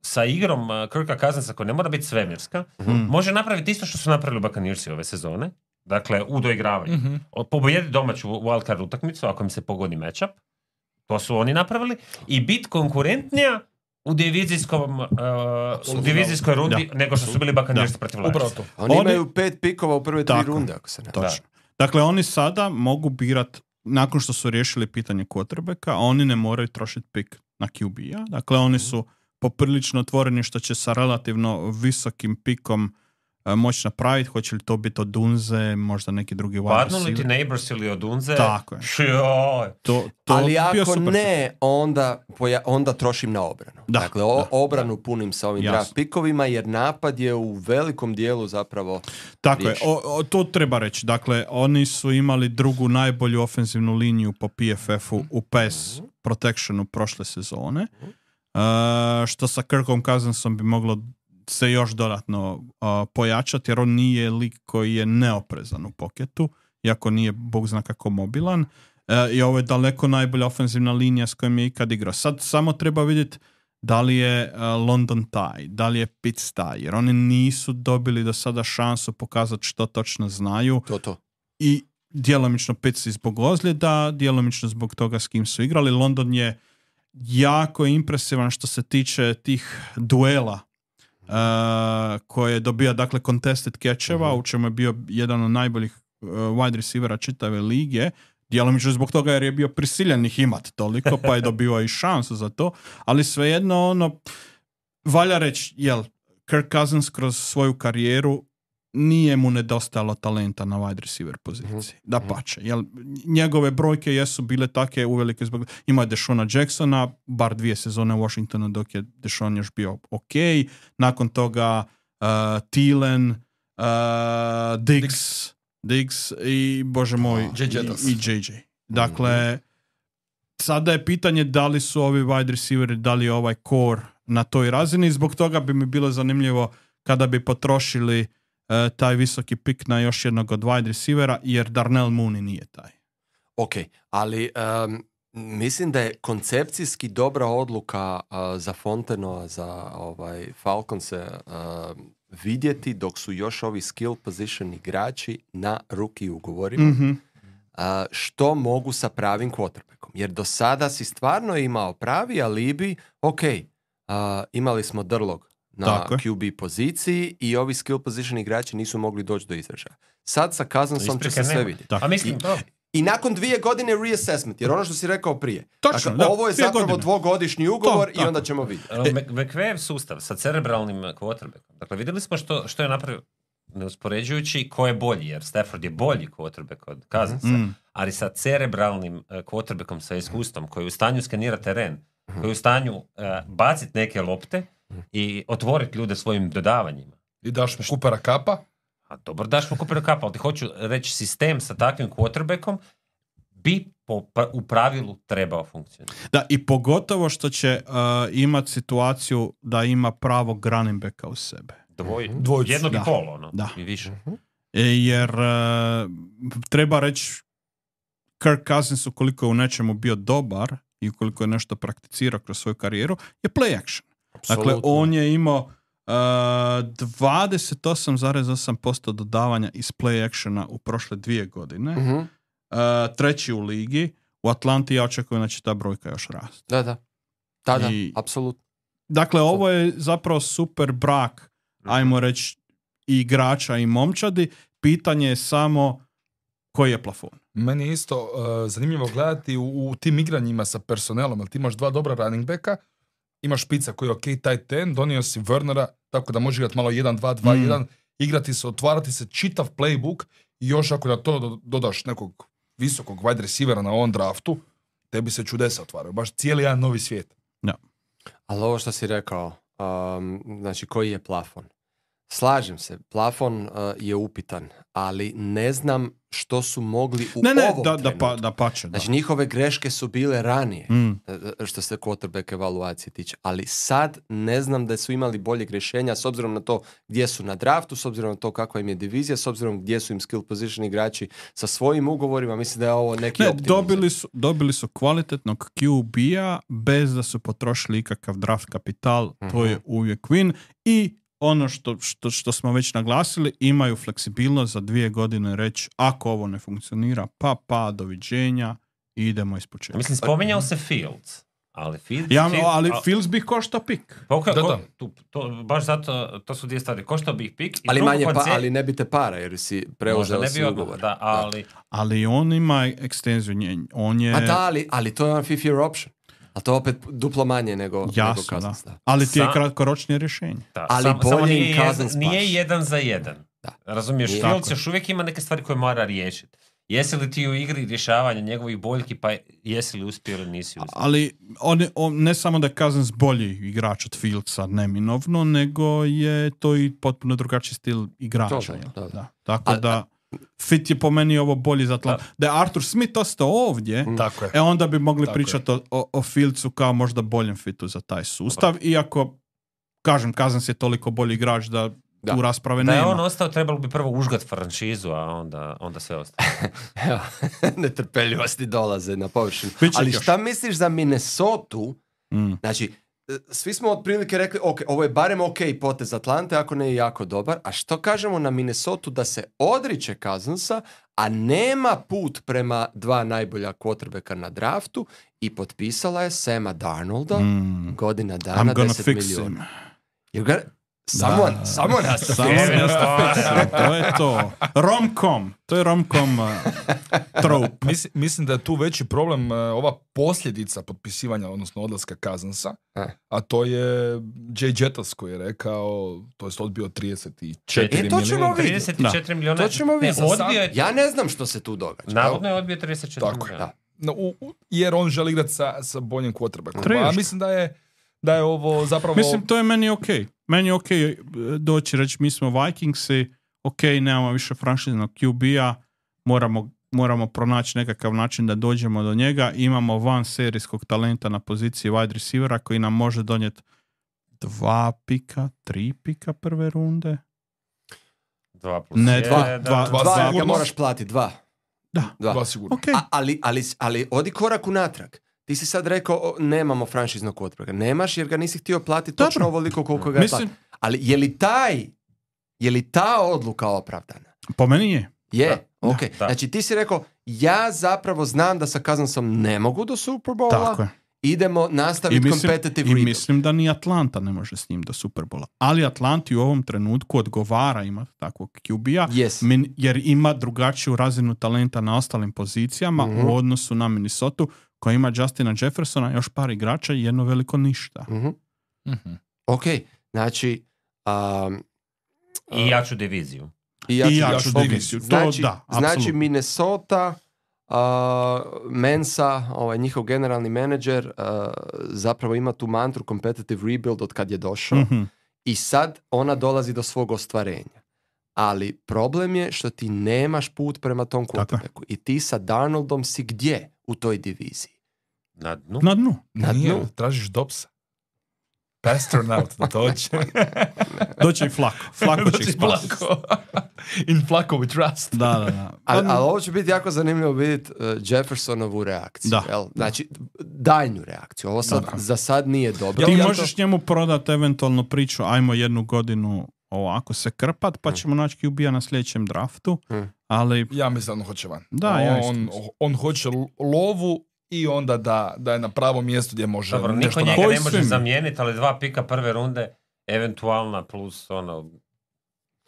sa igrom Kirka Cousinsa koja ne mora biti svemirska, može napraviti isto što su napravili Buccaneersi ove sezone. Dakle, u doigravanju. Pobojedi domaću wildcard utakmicu ako im se pogodi matchup. To su oni napravili. I bit konkurentnija u divizijskoj rundi nego što su bili Buccaneersi protiv Lionsa. Oni imaju 5 pikova u prve 3 runde, ako se ne. Točno. Dakle, oni sada mogu birati, nakon što su riješili pitanje quarterbacka, oni ne moraju trošiti pik na QB-a. Dakle, oni su poprilično otvoreni što će sa relativno visokim pikom moći napraviti. Hoće li to biti od Dunze, možda neki drugi wide Padnu li ti receiver? Neighbors ili od Dunze? Tako je. Joj. To Ali bio ako super ne, onda trošim na obranu. Da, Dakle, da, obranu punim sa ovim Jasno. draft pikovima, jer napad je u velikom dijelu zapravo Tako je, riješen. to treba reći. Dakle, oni su imali drugu najbolju ofenzivnu liniju po PFF-u u pass protectionu prošle sezone. Što sa Kirkom Cousinsom bi moglo se još dodatno pojačati, jer on nije lik koji je neoprezan u poketu, iako nije bog zna kako mobilan. I ovo je daleko najbolja ofenzivna linija s kojom je ikad igrao. Sad samo treba vidjeti da li je London taj, da li je Pitts taj, jer oni nisu dobili do sada šansu pokazati što točno znaju. To. I djelomično Pitts zbog ozljeda, djelomično zbog toga s kim su igrali. London je jako impresivan što se tiče tih duela koje dobija, dakle, contested catcheva, u čemu je bio jedan od najboljih wide receivera čitave lige. Djelomično zbog toga jer je bio prisiljen ih imat toliko, pa je dobio i šansu za to. Ali svejedno, valja reći, Kirk Cousins kroz svoju karijeru nije mu nedostajalo talenta na wide receiver poziciji. Dapače. Njegove brojke jesu bile take uvelike zbog... Ima je Deshona Jacksona, bar 2 sezone u Washingtonu dok je Deshon još bio ok. Nakon toga Thielen, Diggs i, bože moj, i JJ. Dakle, sada je pitanje da li su ovi wide receiveri, da li je ovaj core na toj razini. Zbog toga bi mi bilo zanimljivo kada bi potrošili taj visoki pik na još jednog od wide receivera, jer Darnell Mooney nije taj. Ok, ali mislim da je koncepcijski dobra odluka za Fontenoa, za Falconse vidjeti dok su još ovi skill position igrači na rookie ugovorima, što mogu sa pravim quarterbackom. Jer do sada si stvarno imao pravi alibi, ok, imali smo Drlog na QB poziciji i ovi skill position igrači nisu mogli doći do izražaja. Sad sa Cousinsom će se sve vidjeti. A mislim, I nakon 2 godine reassessment, jer ono što si rekao prije. Točno, dakle, ovo je zapravo 2-godišnji ugovor i onda ćemo vidjeti. McVay sustav sa cerebralnim quarterbackom. Dakle, vidjeli smo što je napravio, neuspoređujući ko je bolji, jer Stafford je bolji quarterback od Cousinsa, ali sa cerebralnim quarterbackom sa iskustvom, koji je u stanju skenirati teren, koji je u stanju baciti neke lopte i otvoriti ljude svojim dodavanjima. I daš mu Coopera Cupa? A dobro, daš mu Coopera Cupa, ali ti hoću reći, sistem sa takvim quarterbackom bi u pravilu trebao funkcionirati. Da, i pogotovo što će imati situaciju da ima pravog running backa u sebe. Jednog i pol, ono, i više. Jer treba reći, Kirk Cousins, ukoliko je u nečemu bio dobar i ukoliko je nešto prakticirao kroz svoju karijeru, je play action. Absolutno. Dakle, on je imao 28,8% dodavanja iz play actiona u prošle 2 godine. Treći u ligi. U Atlanti ja očekujem da će ta brojka još rasti. Da, apsolutno. Dakle, ovo je zapravo super brak, ajmo reći, i igrača i momčadi. Pitanje je samo koji je plafon. Meni je isto zanimljivo gledati u tim igranjima sa personelom, jer ti imaš 2 dobra running backa, imaš Špica koji je ok tight end, donio si Wernera, tako da može igrati malo 1-2-2-1, igrati se, otvarati se čitav playbook i još ako na to dodaš nekog visokog wide receivera na ovom draftu, tebi se čudesa otvaraju. Baš cijeli jedan novi svijet. Ja. Ali ovo što si rekao, znači koji je plafon? Slažem se, plafon je upitan, ali ne znam što su mogli u ovom trenutku. Da pače. Znači njihove greške su bile ranije, što se quarterback evaluacije tiče, ali sad ne znam da su imali boljeg rješenja s obzirom na to gdje su na draftu, s obzirom na to kakva im je divizija, s obzirom gdje su im skill position igrači sa svojim ugovorima. Mislim da je ovo neki optimizam. Dobili su kvalitetnog QB-a bez da su potrošili ikakav draft kapital, to je uvijek win. I ono što smo već naglasili, imaju fleksibilnost za 2 godine reći, ako ovo ne funkcionira, pa doviđenja i idemo iz početka. Mislim, spominjao se Fields, ali Fields bi koštao pik. Baš zato, to su 2 stvari. Koštao bi pik. Ali ali ne bi te para, jer si preuzeo si ugovor. Ali on ima ekstenziju. On je... ali to je jedan fifth year option. Ali to je opet duplo manje nego Jasno, Cousins. da. Ali ti je Sam- kratkoročnije rješenje. Da, Ali samo bolje nije, im Cousins nije baš. 1 za 1. Da. Razumiješ, Nije. Fields još uvijek ima neke stvari koje mora riješiti. Jesi li ti u igri rješavanja njegovih boljki, pa jesi li uspio ili nisi uspio? Ali on ne samo da je Cousins bolji igrač od Fieldsa, neminovno, nego je to i potpuno drugačiji stil igrača. To, jel? da. Da. Tako da fit je po meni ovo bolji za Atlantu. Da je Arthur Smith ostao ovdje, Tako je. onda bi mogli Tako pričati o Fieldsu kao možda boljem fitu za taj sustav. Iako, kažem, Cousins je toliko bolji igrač da tu rasprave Da je nema. on ostao, trebalo bi prvo užgat franšizu, a onda sve ostalo. Evo, netrpeljivosti dolaze na površinu. Bit će Ali još. šta misliš za Minnesotu? Znači, svi smo otprilike rekli, ok, ovo je barem ok potez Atlante, ako ne je jako dobar. A što kažemo na Minnesotu da se odriče Cousinsa, a nema put prema 2 najbolja quarterbacka na draftu i potpisala je Sama Darnolda, godina dana, I'm gonna 10 fix milijuna. him. You got someone has to Samo fix him. has to fix him. To je to. Rom-com. To je rom-com trope. Mislim da je tu veći problem ova posljedica potpisivanja, odnosno odlaska Cousinsa, a to je Jay Jettas koji je rekao, to je odbio 34 to ćemo milijuna. vidjeti. 34 milijuna. To ćemo vidjeti. Odbio je, Ja ne znam što se tu događa. navodno je odbio 34 Tako je. milijuna. Da. No, jer on želi igrati sa boljim quarterbackom. Trebaš. A mislim da je ovo zapravo... Mislim, to je meni okej. Meni je okej doći reći mi smo Vikingsi, okej, nemamo više franšiznog QB-a, moramo pronaći nekakav način da dođemo do njega. Imamo van serijskog talenta na poziciji wide receivera koji nam može donijeti 2 pika, 3 pika prve runde. 2 plus Ne, 1. dva Dva ga sigurno. moraš platiti, 2. Da. Dva sigurno. Okej. Ali odi korak unatrag. Ti si sad rekao, nemamo franšiznog quarterbacka. Nemaš jer ga nisi htio platiti Dobro. točno ovoliko koliko ga je Mislim- platiti. Ali je li ta odluka opravdana? Po meni je. Je, ok. Da. Znači ti si rekao, ja zapravo znam da sa Cousinsom ne mogu do Super Bowla, Tako je. idemo nastaviti competitive rebuild. mislim da ni Atlanta ne može s njim do Superbola. Ali Atlanti u ovom trenutku odgovara imati takvog QB-a Yes. jer ima drugačiju razinu talenta na ostalim pozicijama u odnosu na Minnesotu koja ima Justina Jeffersona, još par igrača i jedno veliko ništa. Ok, znači... I jaču diviziju. I jaču ok. diviziju. To Znači, da, znači apsolutno. Minnesota, Mensa, njihov generalni menadžer, zapravo ima tu mantru competitive rebuild od kad je došao i sad ona dolazi do svog ostvarenja. Ali problem je što ti nemaš put prema tom quarterbacku i ti sa Darnoldom si gdje u toj diviziji? Na dnu. Na dnu. Na Nije, dnu. tražiš Dobsa. Pasternaut da dođe. Doći i Flako. Flako će ih spasiti. Flako. In Flako we trust. Da. Ali ovo će biti jako zanimljivo vidjeti Jeffersonovu reakciju. Da. Jel? Znači, daljnju reakciju. Ovo sad, za sad nije dobro. Ti Ja to- možeš njemu prodati eventualno priču, ajmo 1 godinu ovako se krpat, pa ćemo naći QB-a na sljedećem draftu, ali Ja mislim da on hoće van. Da, ja isto on, mislim. on hoće lovu i onda da je na pravom mjestu gdje može Dobro, nešto niko njega napraviti. ne može svim? zamijeniti, ali 2 pika prve runde, eventualna plus ono...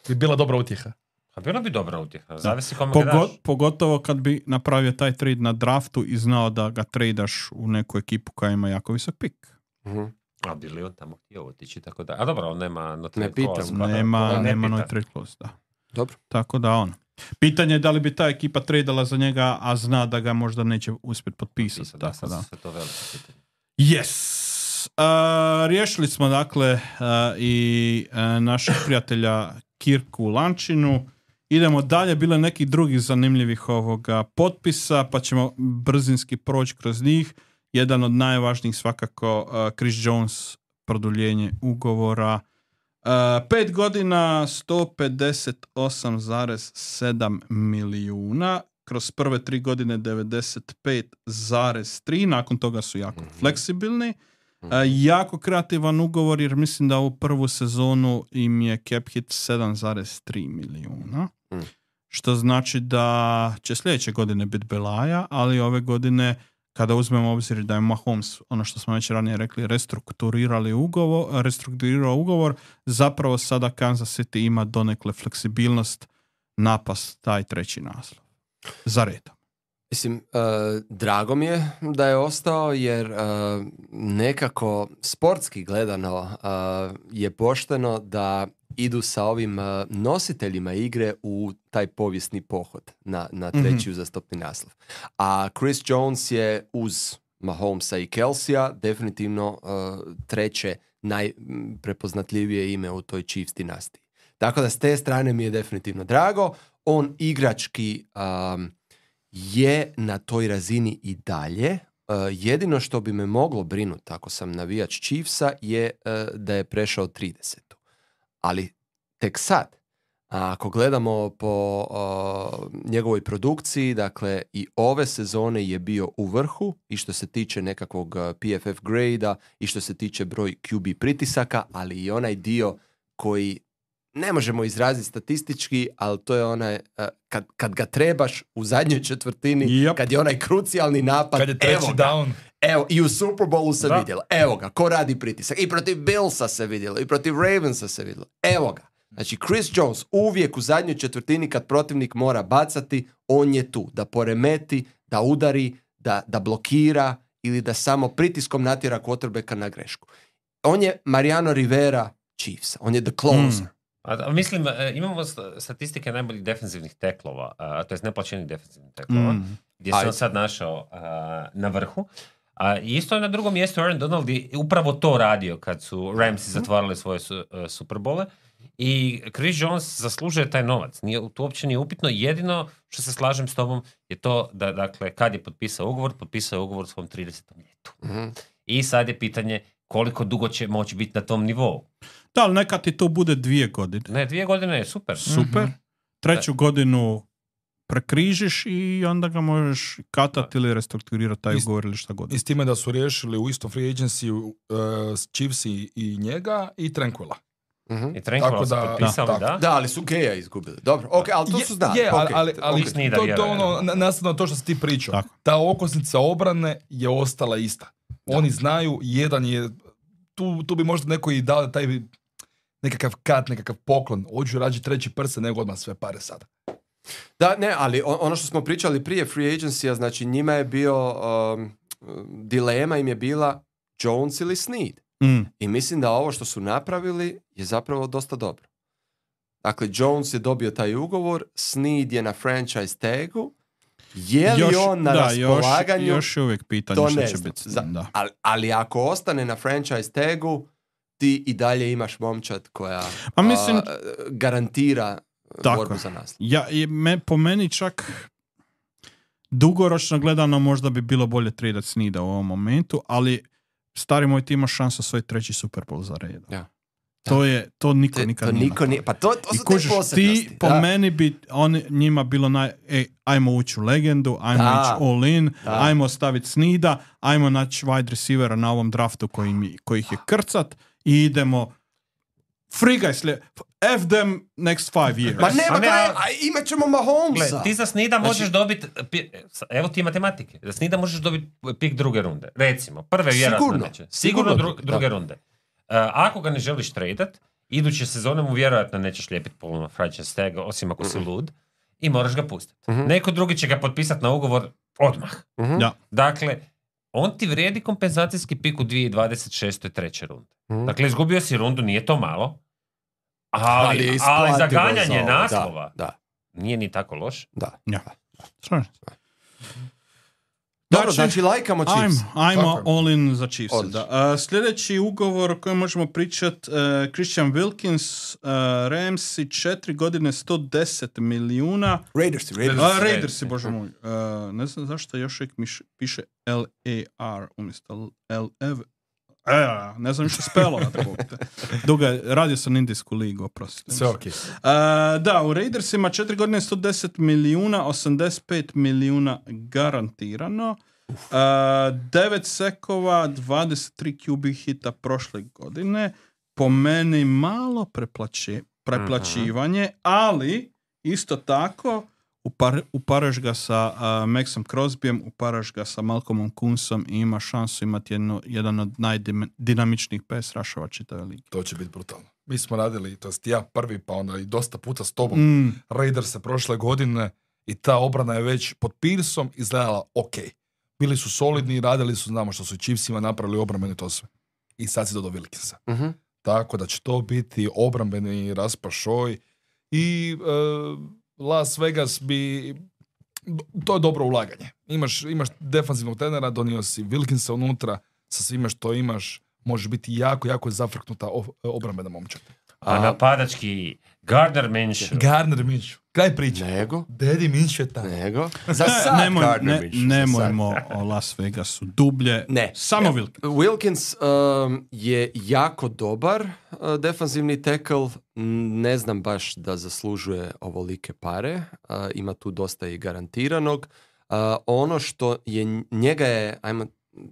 Bi bila dobra utjeha. A bilo bi dobra utjeha, zavisi kome ga daš. pogotovo kad bi napravio taj trade na draftu i znao da ga tradaš u neku ekipu koja ima jako visok pik. Mhm. A bi li on tamo htio otići, tako da... A dobro, on nema... Ne pitam. Nema pita. no trade clause, da. Dobro. Tako da pitanje je da li bi ta ekipa tradala za njega, a zna da ga možda neće uspjeti potpisati. Da, Tako da. sve to veliko pitanje. Yes. Riješili smo dakle i našeg prijatelja Kirku Lančinu. Idemo dalje, bilo je nekih drugih zanimljivih ovoga potpisa, pa ćemo brzinski proći kroz njih. Jedan od najvažnijih svakako Chris Jones, produljenje ugovora. 5 godina, 158,7 milijuna. Kroz prve 3 godine 95,3. Nakon toga su jako fleksibilni. Jako kreativan ugovor jer mislim da u prvu sezonu im je cap hit 7,3 milijuna. Što znači da će sljedeće godine biti belaja, ali ove godine kada uzmemo obzir da je Mahomes, ono što smo već ranije rekli, restrukturirao ugovor, zapravo sada Kansas City ima donekle fleksibilnost napast taj treći naslov. Za redom. Mislim, drago mi je da je ostao jer nekako sportski gledano je pošteno da idu sa ovim nositeljima igre u taj povijesni pohod na treći uzastopni naslov. A Chris Jones je uz Mahomesa i Kelsija definitivno treće najprepoznatljivije ime u toj Chiefs dinastiji. Tako da s te strane mi je definitivno drago. On igrački je na toj razini i dalje. Jedino što bi me moglo brinuti ako sam navijač Chiefsa je da je prešao 30. Ali tek sad, ako gledamo po njegovoj produkciji, dakle i ove sezone je bio u vrhu i što se tiče nekakvog PFF grade-a i što se tiče broj QB pritisaka, ali i onaj dio koji ne možemo izraziti statistički, ali to je onaj, kad ga trebaš u zadnjoj četvrtini, kad je onaj krucijalni napad, kad je treći down. Evo, i u Super Bowlu se vidjelo. Evo ga, ko radi pritisak. I protiv Billsa se vidjelo, i protiv Ravensa se vidjelo. Evo ga. Znači, Chris Jones uvijek u zadnjoj četvrtini kad protivnik mora bacati, on je tu. Da poremeti, da udari, da blokira ili da samo pritiskom natjera quarterbacka na grešku. On je Mariano Rivera Chiefsa. On je the closer. Mislim, imamo statistike najboljih defensivnih teklova, to jest neplaćenih defensivnih teklova, gdje se on sad našao na vrhu. I isto je na drugom mjestu Aaron Donald je upravo to radio kad su Ramsi zatvarali svoje Superbole. I Chris Jones zaslužuje taj novac. To uopće nije upitno. Jedino što se slažem s tobom je to da, dakle, kad je potpisao je ugovor u svom 30. ljetu. I sad je pitanje koliko dugo će moći biti na tom nivou. Da, ali neka ti to bude 2 godine. Ne, 2 godine je super. Super. Treću godinu prekrižiš i onda ga možeš katati ili restrukturirati taj ugovor ili šta god. I s time da su riješili u istom free agency Chiefs i njega i Tranquila. I Tranquila su potpisali, da? Da, ali su Geja izgubili. Dobro, ok, ali to su znali. Ali to ono, nastavno to što si ti pričao. Tako. Ta okosnica obrane je ostala ista. Oni znaju, jedan je, tu bi možda neko i dao taj nekakav kat, nekakav poklon. Hoću rađi treći prse nego odmah sve pare sada. Da, ne, ali ono što smo pričali prije free agency-a, znači njima je bio, dilema im je bila Jones ili Snead. I mislim da ovo što su napravili je zapravo dosta dobro. Dakle, Jones je dobio taj ugovor, Snead je na franchise tagu, je li on na raspolaganju? Još je uvijek pitanje što će biti. Ali ako ostane na franchise tagu, ti i dalje imaš momčad koja garantira borbu za naslov. Po meni čak dugoročno gledano možda bi bilo bolje tradati Sneada u ovom momentu, ali stari moj, ti imaš šansu svoj treći Super Bowl za redom. Ja. To niko nikad nije. Pa to su te posebnosti. Ti po meni bi njima bilo ajmo ući u legendu, ajmo ići all in, ajmo staviti Sneada, ajmo naći wide receivera na ovom draftu koji ih je krcat i idemo frigaj F them next 5 years. Ma imat ćemo Mahomesa. Gle, ti za Sneada možeš dobiti, evo ti matematike, za Sneada možeš dobiti pik druge runde. Recimo, prve vjerojatno neće. Sigurno druge runde. Ako ga ne želiš tradat, iduće sezone mu vjerojatno nećeš lijepiti polno franchise tag, osim ako si lud, i moraš ga pustiti. Neko drugi će ga potpisati na ugovor odmah. Dakle, on ti vrijedi kompenzacijski pik u 2026. treće runde. Dakle, izgubio si rundu, nije to malo, ali za ganjanje naslova nije ni tako loš. Dobro, znači lajkamo Chiefs. Ajmo all in za Chiefs. Sljedeći ugovor o kojem možemo pričati, Christian Wilkins, Ramsi, 4 godine, 110 milijuna. Raidersi, bože moj. Ne znam zašto još uvijek piše LAR umjesto LF. Ne znam što spelo. Duga, radio sam Indijsku ligu, oprostite. Sve ok. Da, u Raidersima 4 godine 110 milijuna, 85 milijuna garantirano. 9 sekova, 23 QB hita prošle godine. Po meni malo preplaćivanje, ali isto tako uparaš ga sa Maxom Crosbyjem, uparaš ga sa Malcolmom Kunsom i ima šansu imati jedan od najdinamičnijih pass rushova čitave lige. To će biti brutalno. Mi smo radili, to jest ja prvi, pa onda i dosta puta s tobom, Raiders prošle godine I ta obrana je već pod Pearsom izgledala ok. Bili su solidni, radili su, znamo što su Chiefsima napravili obrambeni, to sve. I sad si dodao Wilkinsa. Mhm. Tako da će to biti obrambeni raspašoj i Las Vegas bi... To je dobro ulaganje. Imaš defanzivnog trenera, donio si Wilkinsa unutra, sa svime što imaš, može biti jako, jako zafrknuta obrambena momčad. A napadački Gardner Minshew. Kraj priče. Nego? Daddy Minshew je tamo. Nego? Za sad Gardner Minshew. Nemojmo o Las Vegasu dublje. Ne. Samo Wilkins. Wilkins je jako dobar defanzivni tackle. Ne znam baš da zaslužuje ovolike pare. Ima tu dosta i garantiranog. Ono što je njega je, ajmo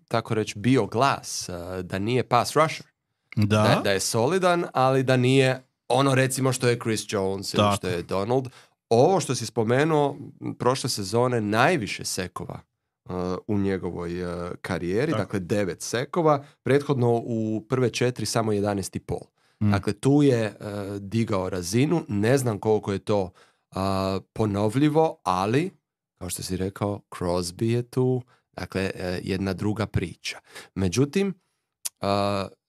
tako reći, bio glas da nije pass rusher. Da je solidan, ali da nije ono recimo što je Chris Jones ili što je Donald. Ovo što si spomenuo, prošle sezone najviše sekova u njegovoj karijeri, dakle 9 sekova, prethodno u prve 4 samo 11,5. Dakle, tu je digao razinu, ne znam koliko je to ponovljivo, ali, kao što si rekao, Crosby je tu, dakle, jedna druga priča. Međutim,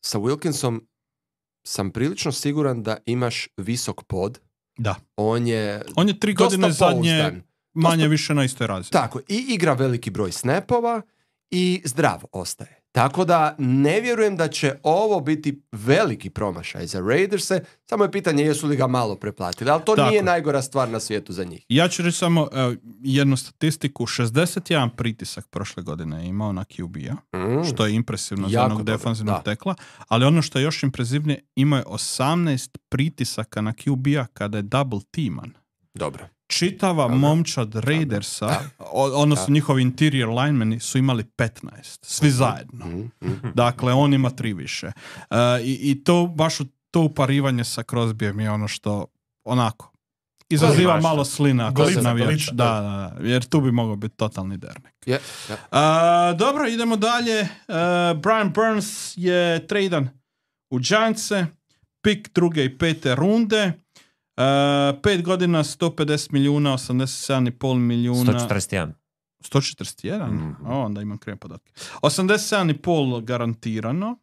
sa Wilkinsom sam prilično siguran da imaš visok pod. Da. On je 3 godine zadnje manje više na istoj razini. Tako, i igra veliki broj snapova i zdrav ostaje. Tako da ne vjerujem da će ovo biti veliki promašaj za Raiderse, samo je pitanje jesu li ga malo preplatili, ali to nije najgora stvar na svijetu za njih. Ja ću reći samo jednu statistiku, 61 pritisak prošle godine je imao na QB-a, što je impresivno za onog defanzivnog tekla, ali ono što je još impresivnije, imao je 18 pritisaka na QB-a kada je double teaman. Dobro. Čitava momčad Raidersa, odnosno njihovi interior linemeni su imali 15, svi zajedno. Dakle, on ima 3 više. I to, baš to uparivanje sa Crosbyjem je ono što onako izaziva malo slina kod navijača. Da, jer tu bi mogao biti totalni dernek. Dobro, idemo dalje. Brian Burns je tradan u Giantse, pik 2. i 5. runde. 5 godina, 150 milijuna, 87,5 milijuna. 141. 141? Onda imam krive podatke. 87,5 garantirano.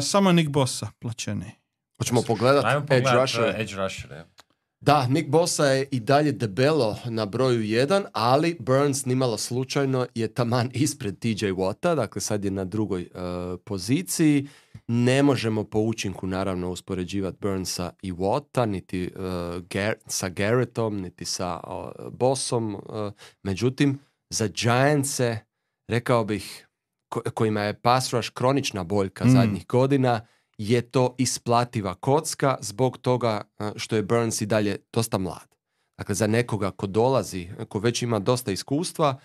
Samo Nick Bosa plaćeni. Hoćemo pogledati Edge Rusher. Da, Nick Bosa je i dalje debelo na broju 1, ali Burns nimalo slučajno je taman ispred TJ Watta, dakle sad je na drugoj poziciji. Ne možemo po učinku naravno uspoređivati Burnsa i Watta, niti sa Garrettom, niti sa Bossom. Međutim, za Giantse, rekao bih, kojima je pass rush kronična boljka zadnjih godina, je to isplativa kocka zbog toga što je Burns i dalje dosta mlad. Dakle, za nekoga ko dolazi, ko već ima dosta iskustva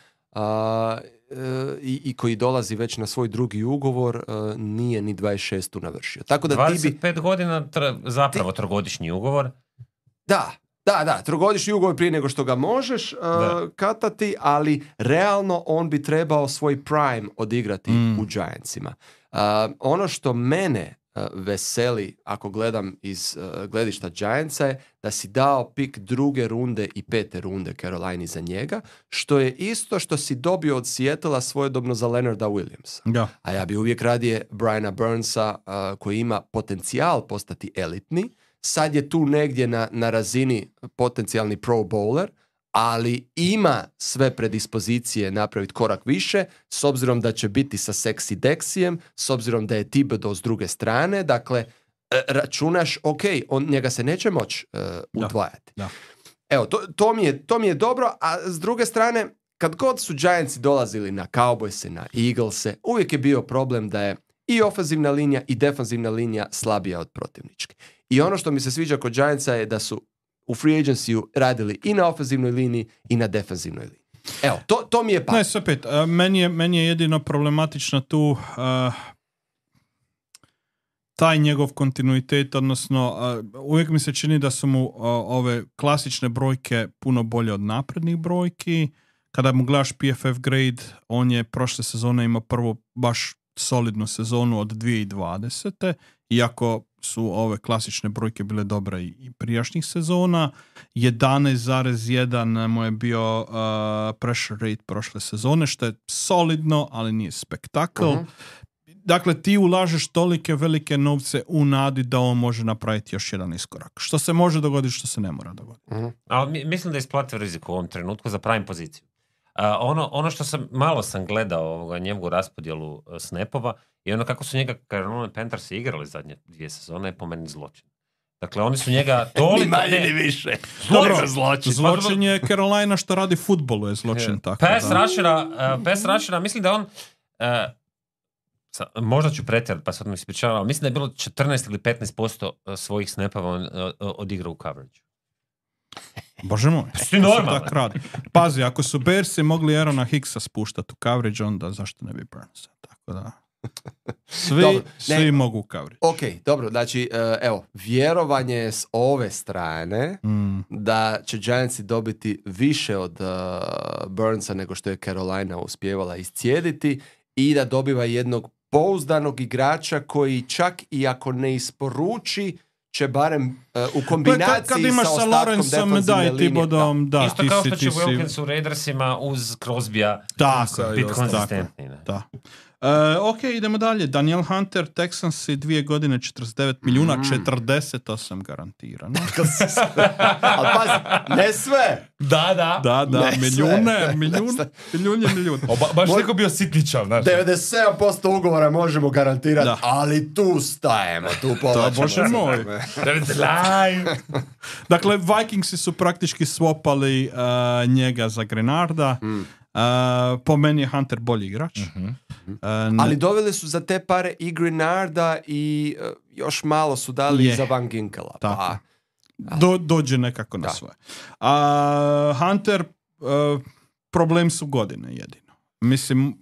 i koji dolazi već na svoj drugi ugovor, nije ni 26 navršio. Tako da 25 godina zapravo trogodišnji ugovor. Da, trogodišnji ugovor prije nego što ga možeš katati, ali realno on bi trebao svoj prime odigrati u Giantsima. Ono što mene veseli, ako gledam iz gledišta Giantsa, je da si dao pik 2. runde i 5. runde Carolini za njega, što je isto što si dobio od Seattlea svojedobno za Leonarda Williamsa. Da. A ja bi uvijek radije Briana Burnsa, koji ima potencijal postati elitni, sad je tu negdje na razini potencijalni pro bowler, ali ima sve predispozicije napraviti korak više, s obzirom da će biti sa sexy Dexijem, s obzirom da je Thibodeau s druge strane, dakle, računaš, njega se neće moći udvajati. Da. Evo, to mi je dobro, a s druge strane, kad god su Giantsi dolazili na Cowboyse, na Eaglese, uvijek je bio problem da je i ofenzivna linija i defanzivna linija slabija od protivničke. I ono što mi se sviđa kod Giantsa je da su u free agency radili i na ofenzivnoj liniji i na defenzivnoj liniji. Evo, to mi je pa. Ne, sve pet. Meni je jedino problematično tu taj njegov kontinuitet, odnosno uvijek mi se čini da su mu ove klasične brojke puno bolje od naprednih brojki. Kada mu gledaš PFF grade, on je prošle sezone imao prvo baš solidnu sezonu od 2020. Iako su ove klasične brojke bile dobre i prijašnjih sezona. 11,1 mu je bio pressure rate prošle sezone, što je solidno, ali nije spektakl. Dakle, ti ulažeš tolike velike novce u nadi da on može napraviti još jedan iskorak. Što se može dogoditi, što se ne mora dogoditi. Ali mislim da je isplatio rizik u ovom trenutku za pravim poziciju. Ono što malo sam gledao njegovu raspodjelu snapova i ono kako su njega Carolina Panthers igrali zadnje 2 sezone je po meni zločin. Dakle, oni su njega toliko... Ni manje ni više. Zločin je Carolina što radi futbolu je zločin. Tako, Pass rushera, mislim da on... možda ću pretjerati, pa sad mi ispričavam, ali mislim da je bilo 14 ili 15% svojih snapova on odigrao u coverage. Bože moj. Si normalno. Tak radi. Pazi, ako su Bearsi mogli Aarona Hicksa spuštati u coverage, onda zašto ne bi Burnsa? Tako da... Svi mogu u coverage. Ok, dobro, znači, evo, vjerovanje s ove strane da će Giantsi dobiti više od Burnsa nego što je Carolina uspijevala iscijediti i da dobiva jednog pouzdanog igrača koji čak i ako ne isporuči će barem u kombinaciji kad imaš sa ostatkom defensivne linije. Isto kao što će Wilkins u Raidersima uz Crosbya biti konzistentni. Da. Ok, idemo dalje. Daniel Hunter, Texans 2 godine, 49 milijuna, 48 garantirano. Ali pazi, ne sve. Da. Milijun. Baš neko bio sitničav. 97% ugovora možemo garantirati, ali tu stajemo, tu povlačimo. Bože moj. Dakle, Vikingsi su praktički swapali njega za Grenarda. Po meni je Hunter bolji igrač. Ali doveli su za te pare i Grenarda i još malo su dali za Van Ginkela. Pa. Dođe nekako na svoje. Hunter, problem su godine jedino. Mislim...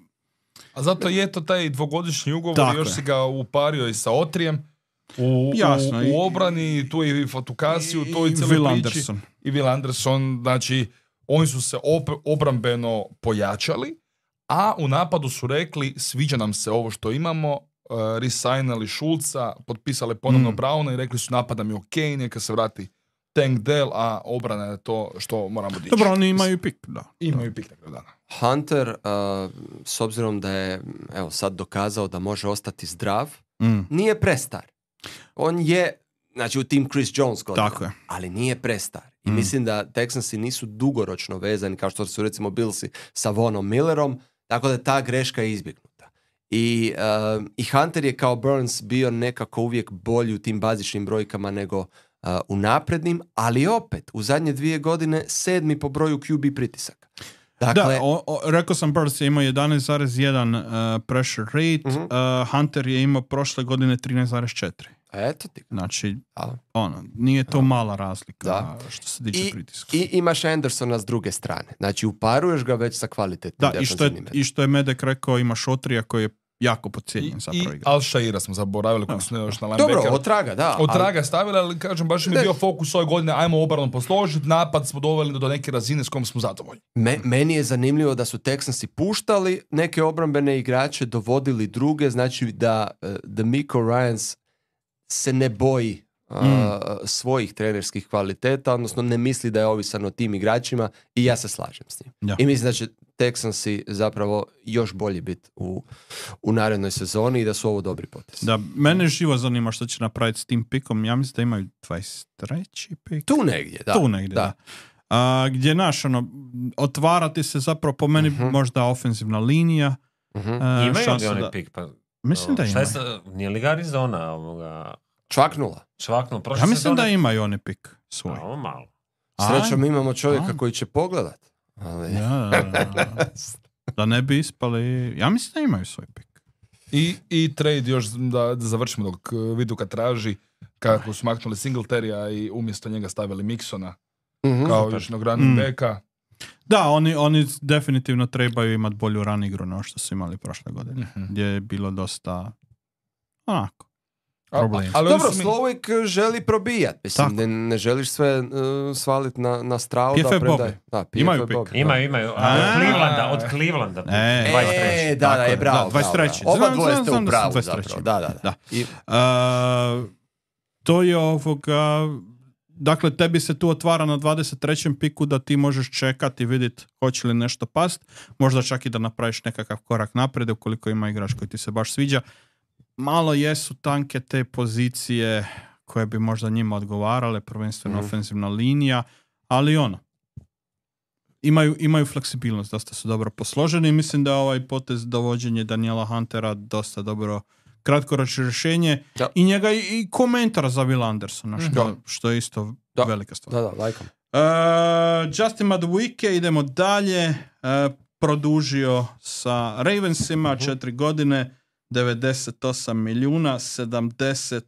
A zato je to taj dvogodišnji ugovor, još si ga upario i sa Otrijem. U obrani, tu je i Fatukasiju, tu je cijeli priči. I Will Anderson, znači oni su se obrambeno pojačali, a u napadu su rekli sviđa nam se ovo što imamo, resignali Schulza, potpisali ponovno Browna i rekli su napad nam je ok, neka se vrati Tank Dell, a obrana je to što moramo dići. Dobro, oni imaju pik, da. Imaju pik na kraju dana. Hunter, s obzirom da je sad dokazao da može ostati zdrav, nije prestar. On je, znači u tim Chris Jones godina, ali nije prestar. I mislim da Texansi nisu dugoročno vezani kao što su recimo Billsi sa Vonom Millerom, tako da je ta greška izbjegnuta. I Hunter je kao Burns bio nekako uvijek bolji u tim bazičnim brojkama nego u naprednim, ali opet u zadnje 2 godine 7. po broju QB pritisaka. Dakle, rekao sam Burns je imao 11,1 pressure rate, Hunter je imao prošle godine 13,4. Eto ti. Znači, nije to mala razlika što se tiče pritiska. I imaš Andersona s druge strane. Znači, uparuješ ga već sa kvalitetnim defensivnim. I što je Medek rekao, imaš Otrija koji je jako podcijenjen zapravo igra. I Al-Shaira smo zaboravili koji smo još na linebacker. Dobro, Otraga, da. Otraga stavili, ali kažem, baš mi je bio fokus ove godine, ajmo obranu posložiti, napad smo doveli do neke razine s kojom smo zadovoljni. Meni je zanimljivo da su Texansi puštali neke obrambene igrače, dovodili druge, znači da D'Amico Ryans se ne boji svojih trenerskih kvaliteta, odnosno ne misli da je ovisan o tim igračima i ja se slažem s njim. Ja. I mislim da će Texansi zapravo još bolje biti u narednoj sezoni i da su ovo dobri potezi. Da, mene živo zanima što će napraviti s tim pikom. Ja mislim da imaju 23. pik. Tu negdje, da. Gdje otvarati se zapravo po meni možda ofenzivna linija. Imaju li oni pik? Pa, mislim da imaju. Nije li ga Arizona ovoga... Čvaknula. Ja mislim da imaju oni pik svoj. Malo. Srećom imamo čovjeka koji će pogledat. Ali... Da ne bi ispali... Ja mislim da imaju svoj pik. I trade još da završimo dok Viduka traži kako su maknuli Singletarya i umjesto njega stavili Mixona kao još jednog running backa. Da, oni definitivno trebaju imati bolju run igru no što su imali prošle godine. Gdje je bilo dosta onako. Dobro, Slowik želi probijat. Mislim, ne želiš sve svaliti na Strauda. PFF Bobby. Imaju pik. Imaju. Od Clevelanda. 23. Da, je bravo. 23. Oba dvoje ste u pravu zapravo. Da. to je dakle, tebi se tu otvara na 23. piku da ti možeš čekati i vidjeti hoće li nešto past, možda čak i da napraviš nekakav korak naprijed ukoliko ima igrač koji ti se baš sviđa. Malo jesu tanke te pozicije koje bi možda njima odgovarale, prvenstveno ofenzivna linija, ali imaju fleksibilnost, dosta su dobro posloženi i mislim da ovaj potez dovođenje Daniela Huntera dosta dobro kratkoročno rješenje i njega i komentar za Will Andersona, što je isto velika stvar. Da, lajkam. Justin Madubuike, idemo dalje, produžio sa Ravensima 4 godine, 98 milijuna, 70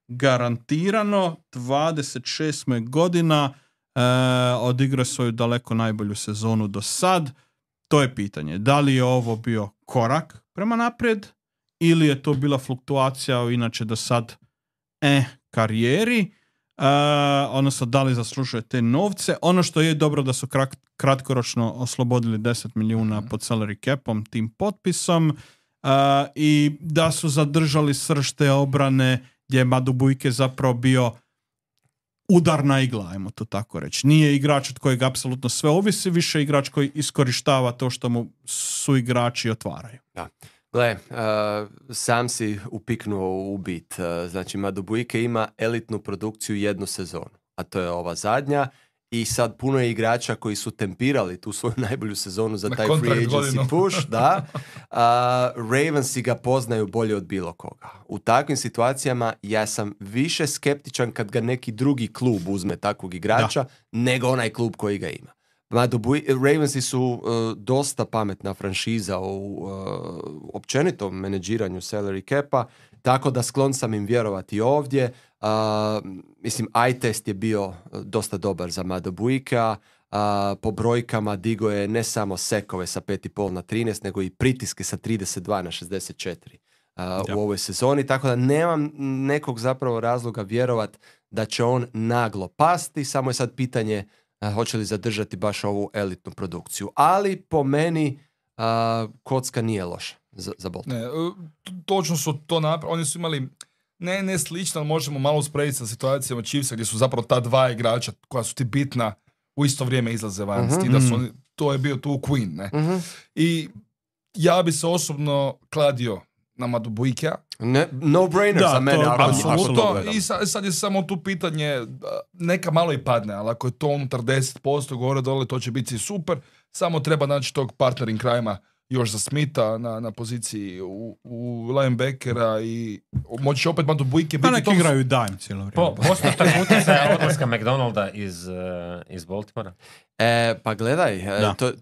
garantirano, 26 godina, odigrao svoju daleko najbolju sezonu do sad. To je pitanje, da li je ovo bio korak prema naprijed ili je to bila fluktuacija u inače do sad karijeri, odnosno da li zaslužuje te novce. Ono što je dobro da su kratkoročno oslobodili 10 milijuna pod salary capom tim potpisom i da su zadržali srž te obrane gdje je Madubuike zapravo bio udarna igla, ajmo to tako reći. Nije igrač od kojeg apsolutno sve ovisi, više igrač koji iskorištava to što mu su igrači otvaraju. Da. Gle, sam si upiknuo u bit. Znači, Madubuike ima elitnu produkciju jednu sezonu, a to je ova zadnja. I sad puno je igrača koji su tempirali tu svoju najbolju sezonu za taj free agency push, da. Ravensi ga poznaju bolje od bilo koga. U takvim situacijama ja sam više skeptičan kad ga neki drugi klub uzme takvog igrača nego onaj klub koji ga ima. Ravensi su dosta pametna franšiza u općenitom menadžiranju salary capa, tako da sklon sam im vjerovati ovdje. Mislim, eye test je bio dosta dobar za Madubuikea. Po brojkama digo je ne samo sekove sa 5,5 na 13, nego i pritiske sa 32 na 64 u ovoj sezoni, tako da nemam nekog zapravo razloga vjerovat da će on naglo pasti, samo je sad pitanje hoće li zadržati baš ovu elitnu produkciju. Ali po meni kocka nije loša za Baltimore. Ne, točno su to napravili. Oni su imali ne slično, ali možemo malo usporediti sa situacijama Chiefsa gdje su zapravo ta dva igrača koja su ti bitna u isto vrijeme izlaze van. Da su oni, to je bio tu Queen. Ne? I ja bi se osobno kladio na Madubuikea. No brainer za mene. Apsolutno. I sad je samo tu pitanje, neka malo i padne, ali ako je to unutar 10% gore dole, to će biti super. Samo treba naći tog partnering crime-a još za Smitha na poziciji u linebackera i moći opet Madubuike biti... Pa neki igraju dime cijelo vrijeme. Postotak utjecaja odlaska McDonalda iz Baltimora? Pa gledaj,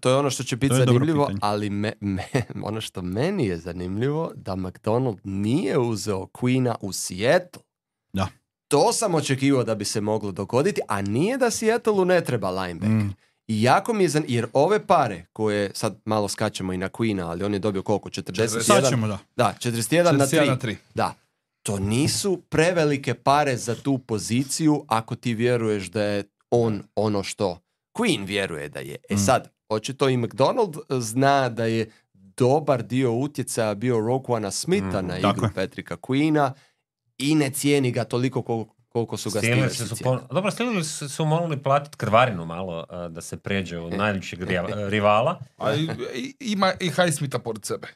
to je ono što će biti zanimljivo, ali ono što meni je zanimljivo da McDonald nije uzeo Queena u Seattle. Da. To sam očekivao da bi se moglo dogoditi, a nije da Seattleu ne treba linebacker. I jako mi je jer ove pare koje sad malo skačemo i na Queena, ali on je dobio koliko? 41? Da, 41 na 3. Da. To nisu prevelike pare za tu poziciju ako ti vjeruješ da je on ono što Queen vjeruje da je. Sad, očito i McDonald zna da je dobar dio utjecaja bio Roquana Smitha na igru Patricka Queena i ne cijeni ga toliko koliko su ga Steelersi cijeli. Dobro, Steelersi su morali platiti krvarinu malo da se pređe u najljepšeg rivala. A ima i Highsmitha pored sebe.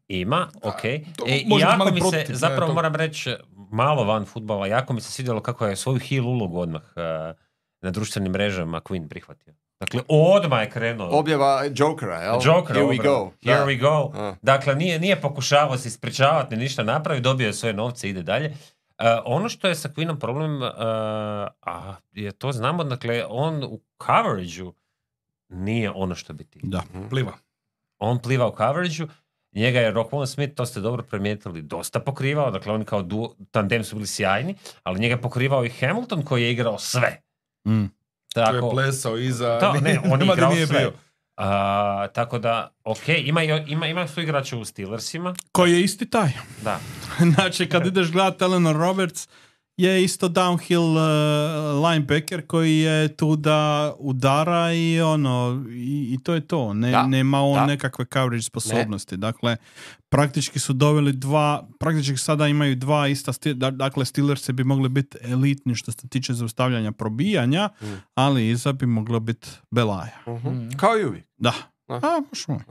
Ima, okej. I jako mi se, zapravo moram reći, malo van fudbala, jako mi se svidjelo kako je svoju heel ulogu odmah na društvenim mrežama Queen prihvatio. Dakle, odmah je krenuo. Objava Jokera, jel? Jokera, Here we go. Dakle, nije pokušavao se ispričavati, ništa napravi, dobio je svoje novce, ide dalje. Ono što je sa Queenom problem, je to znamo, dakle, on u coverageu nije ono što bi ti. Da, pliva. On pliva u coverageu. Njega je Roquan Smith, to ste dobro primijetili, dosta pokrivao, dakle oni kao tandem su bili sjajni, ali njega je pokrivao i Hamilton koji je igrao sve. Tako, to je plesao iza, on je igrao sve. Bio. Tako da, ima su igrače u Steelersima. Koji je isti taj. Da. Znači, kad ideš gledati Eleanor Roberts je isto downhill linebacker koji je tu da udara i to je to. Nema on nekakve coverage sposobnosti. Dakle, praktički su doveli praktički sada imaju dva ista dakle, Steelersi bi mogli biti elitni što se tiče zaustavljanja probijanja, ali iza bi moglo biti belaja. Kao i uvijek. Da.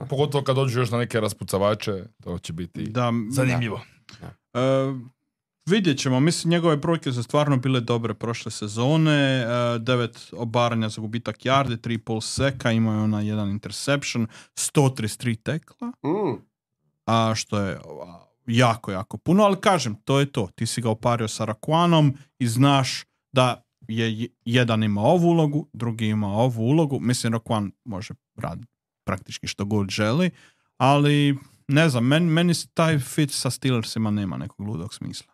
Pogotovo kad dođu još na neke raspucavače, to će biti zanimljivo. Vidjet ćemo, mislim njegove brojke su stvarno bile dobre prošle sezone, 9 obaranja za gubitak yarde, 3,5 seka, imao je ona jedan interception, 133 tekla, što je jako, jako puno, ali kažem, to je to, ti si ga opario sa Raquanom i znaš da je jedan ima ovu ulogu, drugi ima ovu ulogu, mislim Raquan može raditi praktički što god želi, ali ne znam, meni taj fit sa Steelersima nema nekog ludog smisla.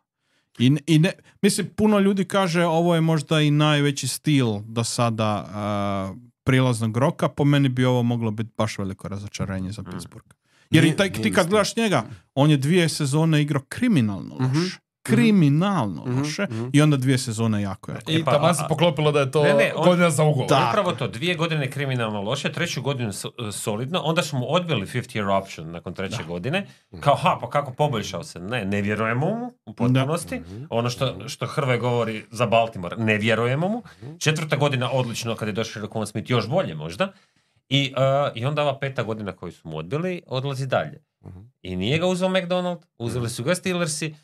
I ne, mislim, puno ljudi kaže ovo je možda i najveći stil do sada prilaznog roka, po meni bi ovo moglo biti baš veliko razočarenje za Pittsburgh. Jer ti kad gledaš njega, on je 2 sezone igrao kriminalno loše. Kriminalno loše i onda 2 sezone jako. I taman se poklopilo da je to godina za ugovor. Upravo to, 2 godine kriminalno loše, 3. godinu solidno, onda smo mu odbili 5th year option nakon 3. godine. Kao, pa kako poboljšao se? Ne vjerujemo mu u potpunosti. Ono što Hrvoje govori za Baltimore, ne vjerujemo mu. 4. godina odlično, kad je došao Roquan Smith, još bolje možda. I onda ova 5. godina koju su mu odbili, odlazi dalje. I nije ga uzeo McDonald, uzeli su ga Steelersi.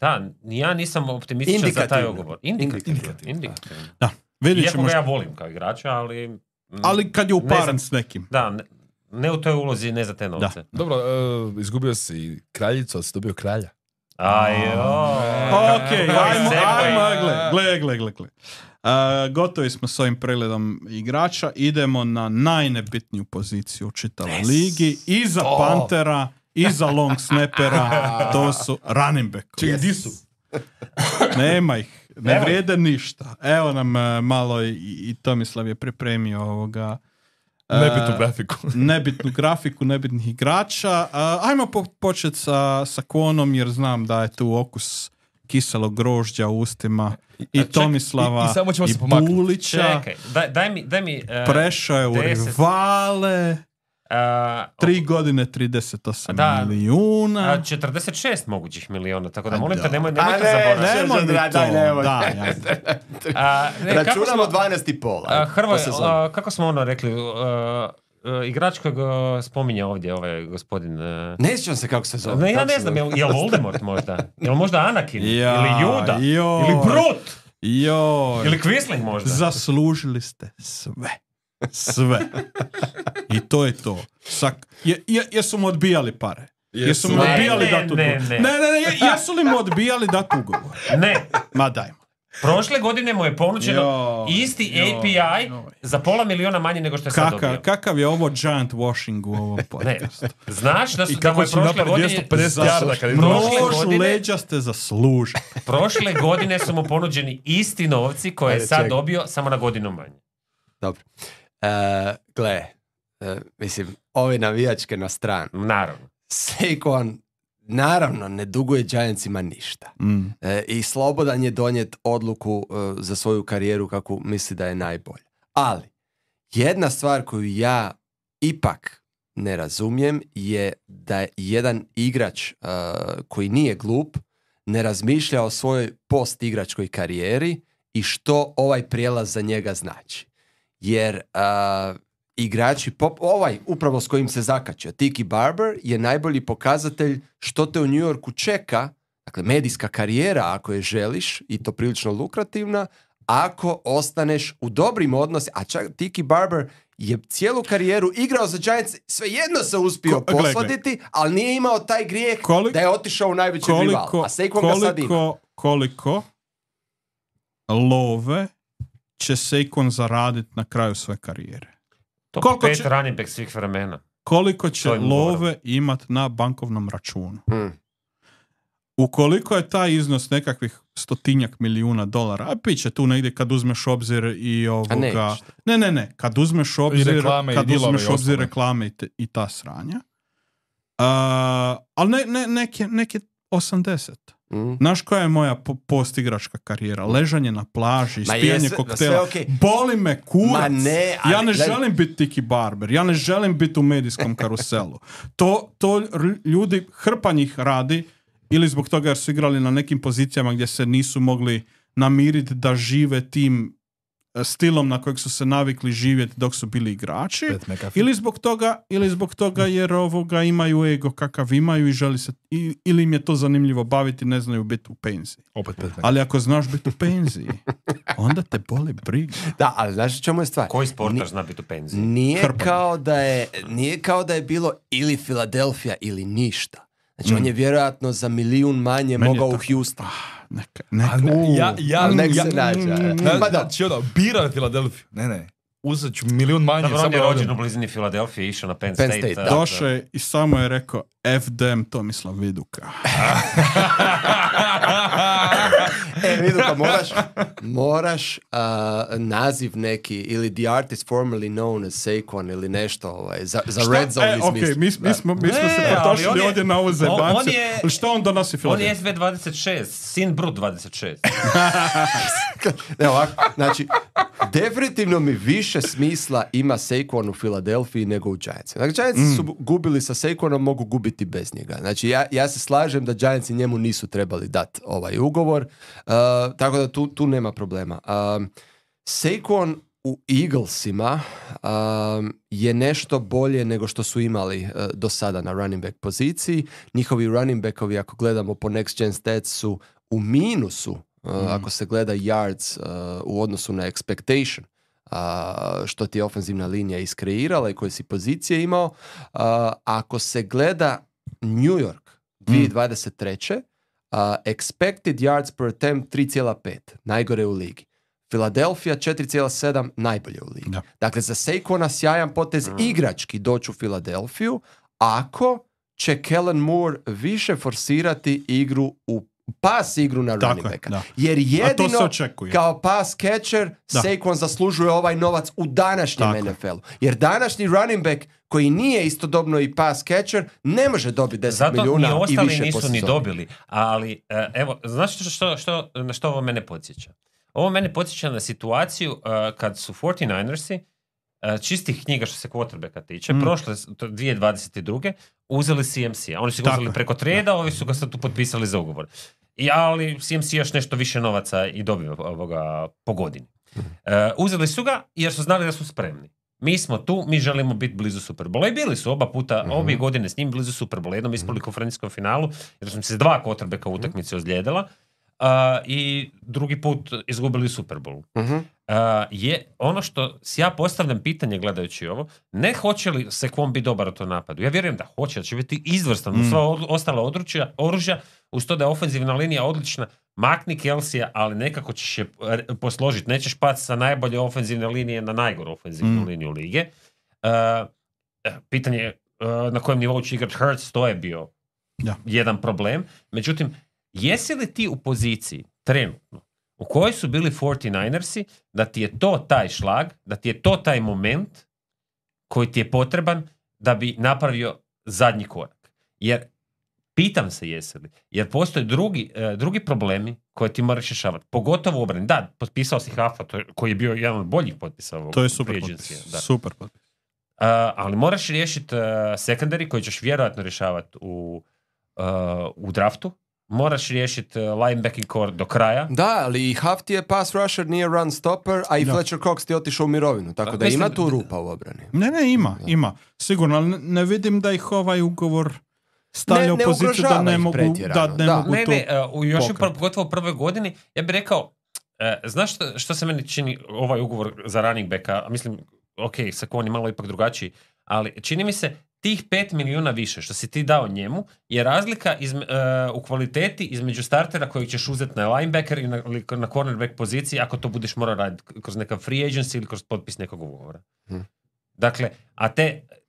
Da, ja nisam optimističan za taj ugovor. Indikativno. Da, iako ga ja volim kao igrača, ali... Ali kad je uparen s nekim. Da, ne u toj ulozi, ne za te novce. Dobro, izgubio si kraljicu, ali si dobio kralja. Okej, ajmo, gle. Gotovi smo s ovim pregledom igrača. Idemo na najnebitniju poziciju u čitavoj ligi. Iza Pantera, iza long snappera, to su running back. Čekaj, di su? Nema ih, ne vrijede ništa. Evo nam malo i Tomislav je pripremio ovoga nebitnu grafiku nebitnih igrača. Ajmo početi sa Kvonom jer znam da je tu okus kiselog grožđa u ustima i Tomislava i Bulića. Čekaj, daj mi prešao je u rivale. 3 godine 38 milijuna. 46 mogućih miliona, tako da molim te nemojte zaboraviti. Računamo 12,5. Hrvoje, kako smo rekli, igrač kojeg spominje ovdje ovaj gospodin... Ne sjećam se kako se zove. Ja ne znam, je Voldemort možda? Je li možda Anakin? Ili Juda? Ili Brut? Ili Quisling možda? Zaslužili ste sve. I to je to. Jesu mu odbijali pare? Jesu mu odbijali dati ugovor? Jesu li mu odbijali dati ugovor? Ne. Ma dajmo. Prošle godine mu je ponuđeno isti API za $500,000 manje nego što je sad dobio. Kakav je ovo giant washing u ovom podcastu? Znaš da mu je prošle godine... Prošle leđa ste zaslužili. Prošle godine su mu ponuđeni isti novci koje je sad dobio, samo na godinu manje. Dobro. Mislim, ove navijačke na stranu. Naravno. Saquon naravno ne duguje Giantsima ništa. I slobodan je donijet odluku za svoju karijeru kako misli da je najbolja. Ali, jedna stvar koju ja ipak ne razumijem je da jedan igrač koji nije glup ne razmišlja o svojoj post-igračkoj karijeri i što ovaj prijelaz za njega znači. Jer igrači, upravo s kojim se zakačio, Tiki Barber je najbolji pokazatelj što te u New Yorku čeka, dakle medijska karijera ako je želiš i to prilično lukrativna, ako ostaneš u dobrim odnosima, a čak Tiki Barber je cijelu karijeru igrao za Giants, svejedno se uspio posladiti, ali nije imao taj grijeh da je otišao u najveći rival. A Saquon ga sad ima. Koliko love će Saquon zaraditi na kraju svoje karijere? Top 5 running back svih vremena. Koliko će love imat na bankovnom računu? Ukoliko je taj iznos nekakvih $100 milijuna, a piće tu negdje kad uzmeš obzir i ovoga... Ne, kad uzmeš obzir reklame i ta sranja. Ali neke 80. Znaš koja je moja postigračka karijera? Ležanje na plaži, ispijanje koktela. Okay. Boli me kurac. Ne, ja ne želim biti Tiki Barber. Ja ne želim biti u medijskom karuselu. To ljudi, hrpa njih radi ili zbog toga jer su igrali na nekim pozicijama gdje se nisu mogli namiriti da žive tim stilom na kojeg su se navikli živjeti dok su bili igrači, ili zbog toga jer imaju ego kakav imaju i želi se, ili im je to zanimljivo baviti, ne znaju biti u penziji. Ali ako znaš biti u penziji, onda te boli briga. Da, ali znaš čemu je stvar? Koji sportaš zna biti u penziji? Nije kao da je bilo ili Philadelphia ili ništa. Znači, on je vjerojatno za 1 milion manje mogao u Houston. Nek se nađe. Znači, birao je Filadelfiju. Ne. Uzet ću 1 milion manje. Dobro, on je rođen u blizini Filadelfije, išao na Penn State. Došao je i samo je rekao FDM Tomislav Viduka. Viduka, moraš naziv neki, ili the artist formerly known as Saquon ili nešto, za Red Zone izmisliti. Mi smo se potošili ovdje na ovu zebancu. Što on donosi Filadelfiju? On je SV26, sin Brut 26. Ne, ovako, znači, definitivno mi više smisla ima Saquon u Filadelfiji nego u Giantsi. Znači, Giantsi su gubili sa Saquonom, mogu gubiti bez njega. Znači, ja se slažem da Giantsi njemu nisu trebali dati ovaj ugovor, tako da tu nema problema. Saquon u Eaglesima je nešto bolje nego što su imali do sada na running back poziciji. Njihovi running backovi, ako gledamo po next gen stats, su u minusu, ako se gleda yards u odnosu na expectation, što ti je ofenzivna linija iskreirala i koje si pozicije imao. Ako se gleda New York 2023. Expected yards per attempt 3,5, najgore u ligi. Philadelphia 4,7, najbolje u ligi. Dakle, za Saquona sjajan potez igrački doći u Filadelfiju, ako će Kellen Moore više forsirati igru pas igru na running backa. Jer jedino kao pass catcher Saquon zaslužuje ovaj novac u današnjem NFL-u. Jer današnji running back koji nije istodobno i pass catcher ne može dobiti 10 milijuna i više po sezoni. Zato ni ostali nisu ni dobili. Ali, evo, znaš na što ovo mene podsjeća? Ovo mene podsjeća na situaciju kad su 49ersi čistih knjiga što se quarterbacka tiče, prošle 2022. uzeli CMC-a. Oni su ga uzeli preko treda, ovi su ga sad tu potpisali za ugovor. Ali CMC još nešto više novaca i dobio po godini. Uzeli su ga jer su znali da su spremni. Mi smo tu, mi želimo biti blizu Superbola i bili su oba puta, obje godine s njim blizu Superbola. Jednom ispali konferencijskom finalu jer su se 2 quarterbacka u utakmici ozlijedila. I drugi put izgubili Super Bowl. Je ono što si ja postavljam pitanje gledajući ovo, ne hoće li Saquon biti dobar u tom napadu. Ja vjerujem da hoće, da će biti izvrstan u sva ostala oružja, uz to da je ofenzivna linija odlična. Makni Kelsija, ali nekako ćeš je posložiti. Nećeš pati sa najbolje ofenzivne linije na najgoru ofenzivnu liniju lige. Pitanje na kojem nivou će igrati Hurts, to je bio jedan problem. Međutim, jesi li ti u poziciji trenutno u kojoj su bili 49ersi da ti je to taj šlag, da ti je to taj moment koji ti je potreban da bi napravio zadnji korak? Jer pitam se jesi li, jer postoje drugi problemi koje ti moraš rješavati, pogotovo u obrani. Da, potpisao si Huffa, koji je bio jedan od boljih potpisa ovog. To je super potpis. Super potpis. Ali moraš riješiti secondary koji ćeš vjerojatno rješavati u draftu. Moraš riješiti linebacking core do kraja. Da, ali i Huff ti je pass rusher, nije run stopper, a i Fletcher Cox ti je otišao u mirovinu. Tako da ima tu rupa u obrani. Ne, ima. Sigurno, ali ne vidim da ih ovaj ugovor stavlja u poziciju da ne mogu to još pogotovo u prvoj godini, ja bih rekao, znaš što se meni čini ovaj ugovor za running backa, mislim, Saquon je malo ipak drugačiji, ali čini mi se tih 5 milijuna više što si ti dao njemu je razlika u kvaliteti između startera kojeg ćeš uzeti na linebacker i na cornerback poziciji ako to budeš morao raditi kroz nekav free agency ili kroz potpis nekog ugovora. Dakle, a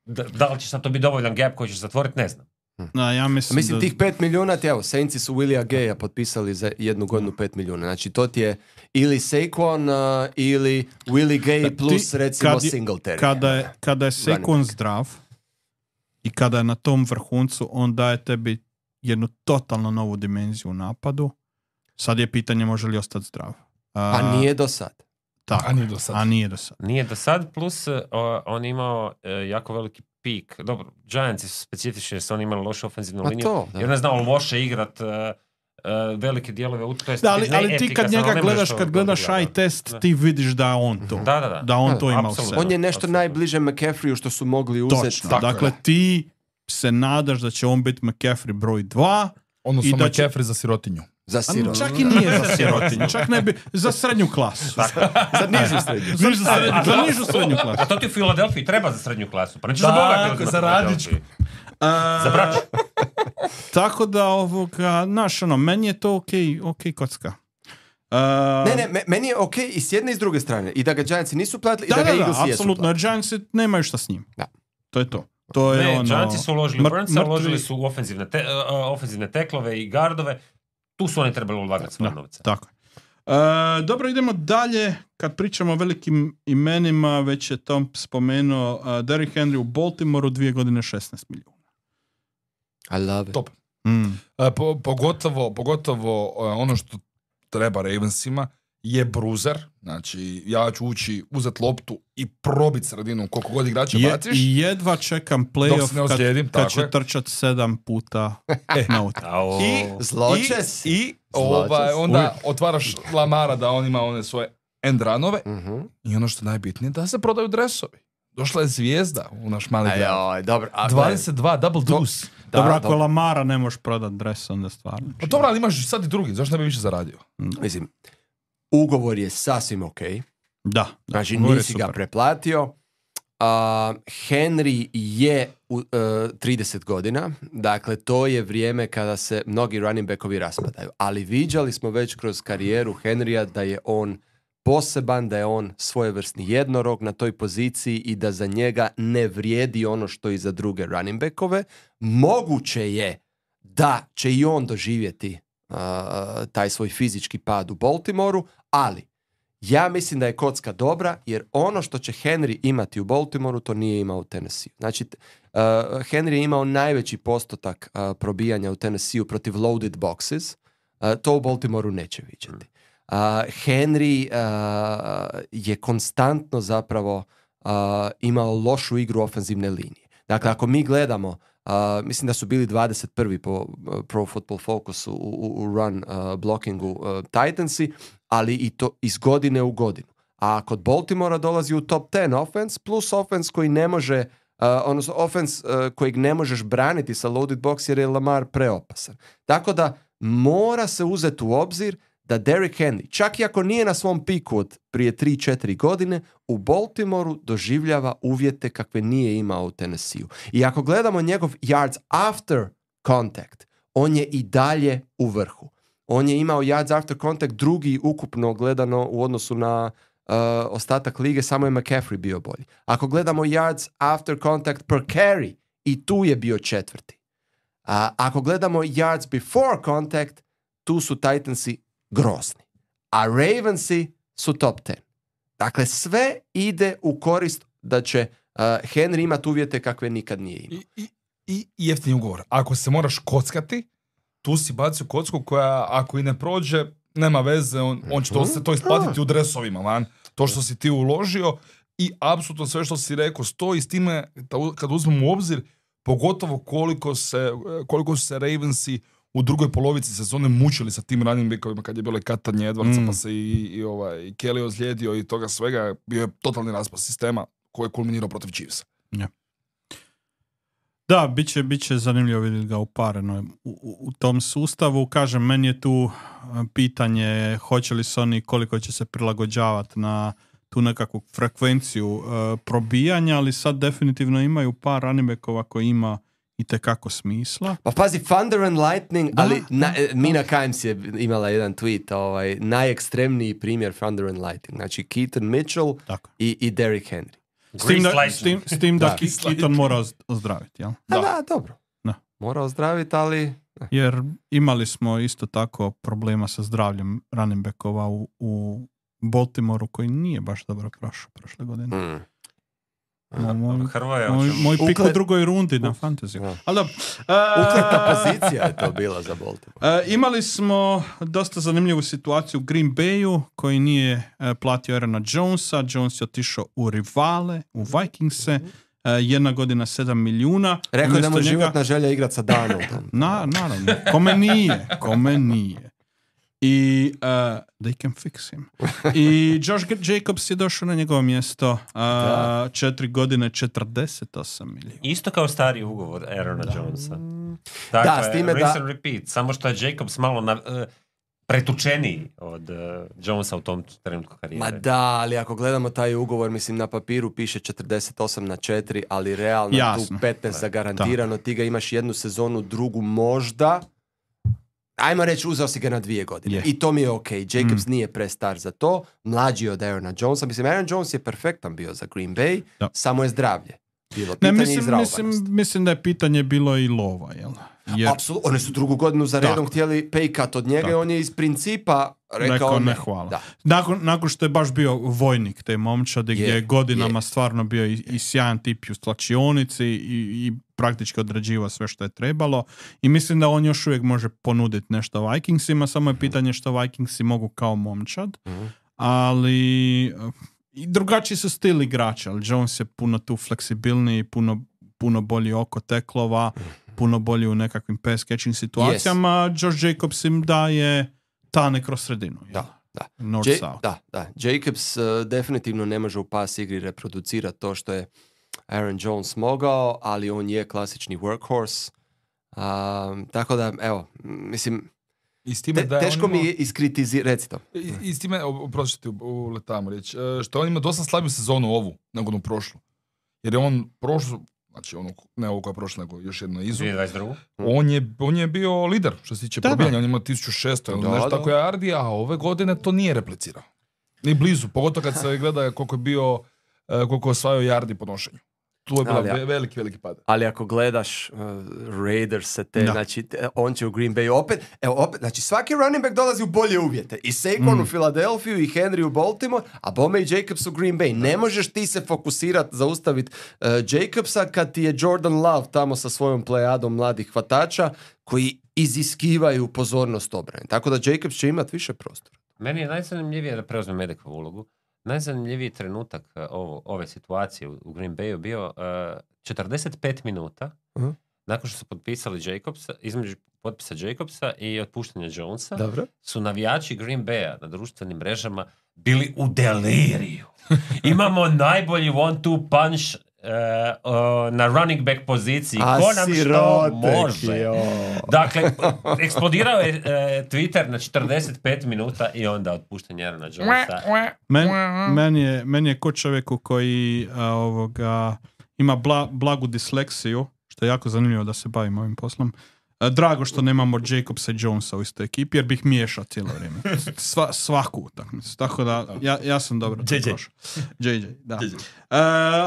da li će sad to biti dovoljan gap koji ćeš zatvoriti, ne znam. Ja mislim tih 5 milijuna, Saintsi su Willia Gaya potpisali za 1 godinu 5 milijuna. Znači to ti je ili Saquon ili Willie Gay plus recimo Singletary. Kada je Saquon zdrav i kada je na tom vrhuncu, on daje tebi jednu totalno novu dimenziju u napadu. Sad je pitanje može li ostati zdrav. Pa nije do sad. Tako, A nije do sad. A nije do sad. Nije do sad, plus on je imao jako veliki pik. Dobro, Giantsi su specifični jer su oni imali lošu ofenzivnu Pa liniju. to, da. I on je znao loše igrat velike dijelove. Da, ali ti kad njega gledaš, kad gledaš eye test, ti vidiš da je on to. Da. On to ima u Apsolutno. sebi. On je nešto Apsolutno. najbliže McCaffreyu što su mogli uzeti. Točno. Tako Dakle, je. ti se nadaš da će on biti McCaffrey broj 2. Odnosno I da će- McCaffrey za sirotinju. Za siro. Čak i nije za sirotinju. Čak ne bi, za srednju klasu. Za nižu srednju. Za nižu srednju klasu. A to ti u Filadelfiji treba za srednju klasu. Pa nećeš za bogati Tako, uzmati za u radničku. Filadelfiji. Za braću. Tako da znaš, meni je to ok kocka. Ne, meni je ok i s jedne i s druge strane. I da ga Giantsi nisu platili, i da ga Eaglesi jesu apsolutno, platili. jer Giantsi nemaju šta s njim. Da. To je to. To je Ne, ono... Giantsi su uložili u Burnsa, mrtvi- uložili su u ofenzivne teklove i gardove. Tu su oni trebali ulagati svoje novce. Tako je. Dobro, idemo dalje. Kad pričamo o velikim imenima, već je Tom spomenuo Derrick Henry u Baltimoreu 2 godine 16 milijuna. I love it. Top. Mm. Pogotovo ono što treba Ravensima je bruzer. Znači, ja ću uzeti loptu i probit sredinu koliko god igrača baciš. I jedva čekam Dok se playoff ne ozlijedim, kad tako će je. trčat 7 puta na utak. Zločes. I Zločes. onda otvaraš Lamara da on ima one svoje end runove i ono što je najbitnije da se prodaju dresovi. Došla je zvijezda u naš mali grad. Dobro. 22, double deuce. Dobro, ako Lamara ne možeš prodat dres, onda stvarno. Pa dobro, ali imaš sad i drugi, zašto ne bi više zaradio? Mislim, ugovor je sasvim ok. Da. Znači, ugovor je nisi ga super. preplatio. Henry je 30 godina. Dakle, to je vrijeme kada se mnogi running backovi raspadaju. Ali viđali smo već kroz karijeru Henrya da je on poseban, da je on svojevrsni jednorog na toj poziciji i da za njega ne vrijedi ono što i za druge running backove. Moguće je da će i on doživjeti taj svoj fizički pad u Baltimoreu, ali ja mislim da je kocka dobra, jer ono što će Henry imati u Baltimoreu, to nije imao u Tennessee. Znači, Henry je imao najveći postotak probijanja u Tennessee protiv loaded boxes. To u Baltimoreu neće vidjeti. Henry je konstantno zapravo imao lošu igru ofenzivne linije. Dakle, ako mi gledamo, mislim da su bili 21. po Pro Football Focusu u run blockingu Titansi, ali i to iz godine u godinu. A kod Baltimora dolazi u top 10 offense, plus offense koji ne može, odnosno offense kojeg ne možeš braniti sa loaded box jer je Lamar preopasan. Tako da mora se uzeti u obzir da Derrick Henry, čak i ako nije na svom piku od prije 3-4 godine, u Baltimoreu doživljava uvjete kakve nije imao u Tennesseeu. I ako gledamo njegov yards after contact, on je i dalje u vrhu. On je imao yards after contact drugi ukupno gledano u odnosu na ostatak lige, samo je McCaffrey bio bolji. Ako gledamo yards after contact per carry, i tu je bio četvrti. Ako gledamo yards before contact, tu su Titansi grozni. A Ravensi su top 10. Dakle, sve ide u korist da će Henry imati uvjete kakve nikad nije imao. I jeftini ugovor. Ako se moraš kockati, tu si bacio kocku koja, ako i ne prođe, nema veze, on će to isplatiti u dresovima, man. To što si ti uložio i apsolutno sve što si rekao stoji s time, kad uzmemo u obzir, pogotovo koliko su se Ravensi u drugoj polovici sezone mučili sa tim running backovima kad je bilo katanje Edwardsa, pa se i Kelly ozlijedio i toga svega, bio je totalni raspad sistema koji je kulminirao protiv Chiefsa. Ja. Da, bit će zanimljivo vidjeti ga upareno u tom sustavu. Kažem, meni je tu pitanje hoće li se oni, koliko će se prilagođavati na tu nekakvu frekvenciju probijanja, ali sad definitivno imaju par running backova koji ima itekako smisla. Pa pazi, Thunder and Lightning, ali Mina Kimes je imala jedan tweet, najekstremniji primjer Thunder and Lightning. Znači Keaton Mitchell i Derrick Henry. S tim da Keaton mora ozdraviti, jel? Da, dobro. Da. Mora ozdraviti, ali... Jer imali smo isto tako problema sa zdravljem running backova u Baltimoreu koji nije baš dobro prošao prošle godine. Hrvoje, Moj pik u Ukle- drugoj rundi na fantasy. Da. Ali dobro. Ukleta pozicija je to bila za Baltimore. Imali smo dosta zanimljivu situaciju u Green Bayu koji nije platio Aarona Jonesa. Jones je otišao u rivale, u Vikingse. Jedna godina 7 milijuna. Rekao je da mu Umjesto je njega- životna želja igrat sa Darnoldom. Naravno. Kome nije. I they can fix him. I Josh Jacobs je došao na njegovo mjesto. 4 godine 48 milijuna. isto kao stari ugovor Aarona Jonesa. Dakle, Da, s time da- rinse and repeat. Samo što je Jacobs malo pretučeniji od Jonesa u tom trenutku karijere. Ma da, ali ako gledamo taj ugovor, mislim, na papiru piše 48/4, ali realno Jasno. tu 15 zagarantirano, ti ga imaš jednu sezonu, drugu možda. Ajmo reći, uzeo si ga na 2 godine. Je. I to mi je ok. Jacobs nije prestar za to. Mlađi od Aarona Jonesa. Mislim, Aaron Jones je perfektan bio za Green Bay, Da. samo je zdravlje. Bilo Ne, pitanje mislim da je pitanje bilo i lova, jel? Jer Apsolutno, oni su drugu godinu za redom Tako. htjeli pay cut od njega i Tako. on je iz principa rekao rekao ne. ne hvala. Da. Nakon što je baš bio vojnik te momčadi gdje je godinama stvarno bio i sjajan tip i u stlačionici i praktički odrađivao sve što je trebalo i mislim da on još uvijek može ponuditi nešto Vikingsima, samo je pitanje što Vikingsi mogu kao momčad, ali i drugačiji su stil igrača, ali Jones je puno tu fleksibilniji, puno bolji oko teklova, puno bolji u nekakvim pass catching situacijama. Josh Jacobs im daje tane kroz sredinu. jel? Da. North-south. Da. Jacobs definitivno ne može u pas igri reproducirati to što je Aaron Jones mogao, ali on je klasični workhorse. Tako da, evo, mislim, I s time da je teško on mi imao- je iskritizirati, reci to. I s time, oprosti uletamo riječ, što on ima dosta slabiju sezonu ovu, nego onu prošlu. Jer je on prošlu, znači ono, ne ovo koja je prošla, nego još jedno izu, 2022. on je bio lider što se tiče Da, probijanja, on ima 1600 ili Da, nešto da. tako je Ardi, a ove godine to nije replicirao. Ni blizu, pogotovo kad se gleda koliko je bio, koliko je osvajao yardi po nošenju. Tu je bila Ali, veliki pad. Ali ako gledaš Raiders Da. znači on će u Green Bay opet, znači svaki running back dolazi u bolje uvjete. I Saquon u Filadelfiju i Henry u Baltimore, a bome i Jacobs u Green Bay. Ne možeš ti se fokusirati, zaustaviti Jacobsa kad ti je Jordan Love tamo sa svojom plejadom mladih hvatača koji iziskivaju pozornost obrane. Tako da Jacobs će imati više prostora. Meni je najzanimljivije da preuzme Medikovu ulogu. Najzanimljiviji trenutak ove situacije u Green Bayu bio 45 minuta nakon što su potpisali Jacobsa, između potpisa Jacobsa i otpuštanja Jonesa, Dobro. su navijači Green Baya na društvenim mrežama bili u deliriju. Imamo najbolji one-two punch na running back poziciji. Ko nam što može? Dakle, eksplodirao je Twitter na 45 minuta i onda otpuštanje Aarona Jonesa. Meni je ko čovjeku koji ima blagu disleksiju, što je jako zanimljivo da se bavim ovim poslom. Drago što nemamo Jacobsa i Jonesa u istoj ekipi, jer bih miješao cijelo vrijeme. Svaku utakmicu. Tako da, ja sam dobro to prošao. JJ, da.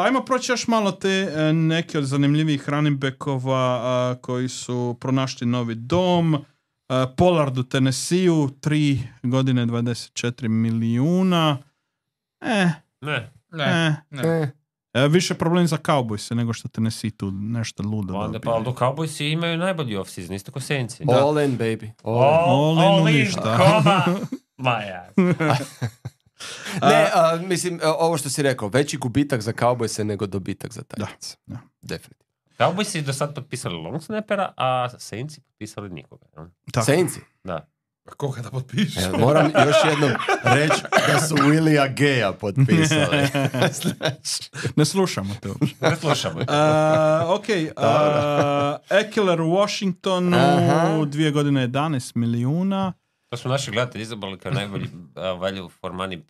Ajmo proći još malo te neke od zanimljivih running backova koji su pronašli novi dom. Pollard u Tennesseeu, 3 godine 24 milijuna. Ne. Više problem za Cowboys nego što Tennessee tu nešto ludo Onda dobije. pa Aldo Cowboysi imaju najbolji off-season, isto ko Saintsi. All in, baby. All in ništa. koma. Maja. Ne, mislim, ovo što si rekao, veći gubitak za Cowboyse nego dobitak za Titans. Da. Definitivno. Cowboysi do sad potpisali long snappera, a Saintsi potpisali nikoga. jel? Tako. Saintsi. Da. Koga da potpišeš? Moram još jednom reći da su Willija Geja potpisali. Ne slušamo te uopće. Ne slušamo. Ekeler u Washingtonu, 2 godine 11 milijuna. To smo naši gledatelji izabrali kao najbolji value for money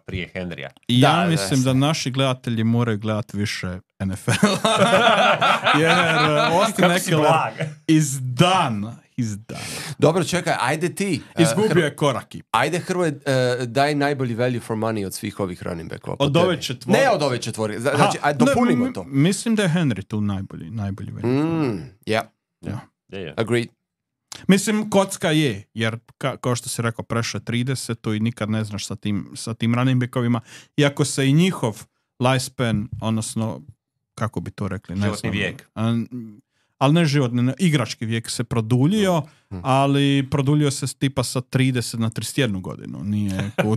prije Henrya. I ja Da, mislim da naši gledatelji moraju gledati više NFL. Jer Austin Kako si Ekeler blag. is done. Dobro, čekaj, ajde ti. Izgubio je koraki. Ajde, Hrvoje, daj najbolji value for money od svih ovih running backova. Od ove četvore. Ne od ove četvorke. Znači, ajde, dopunimo to. Mislim da je Henry tu najbolji value. Yeah, agreed. Mislim, kocka je, jer kao što si rekao, prešao 30 i nikad ne znaš sa tim running backovima. Iako se i njihov lifespan, odnosno, kako bi to rekli? Životni vijek. Ali ne životni, igrački vijek se produljio, ali produljio se tipa sa 30 na 31 godinu. Nije u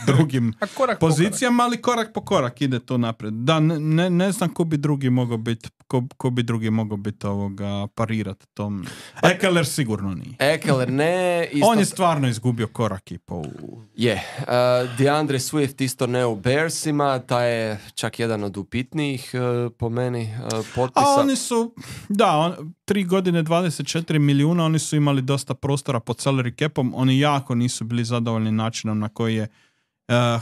drugim pozicijama, ali korak po korak ide to naprijed. Da, ne znam ko bi drugi mogao biti parirati tom. Ekeler sigurno nije. Ekeler ne. On je stvarno izgubio korak i po... DeAndre Swift isto ne u Bearsima, taj je čak jedan od upitnijih po meni potpisa. A oni su, 3 godine 24 milijuna, oni su imali dosta prostora pod salary capom, oni jako nisu bili zadovoljni načinom na koji je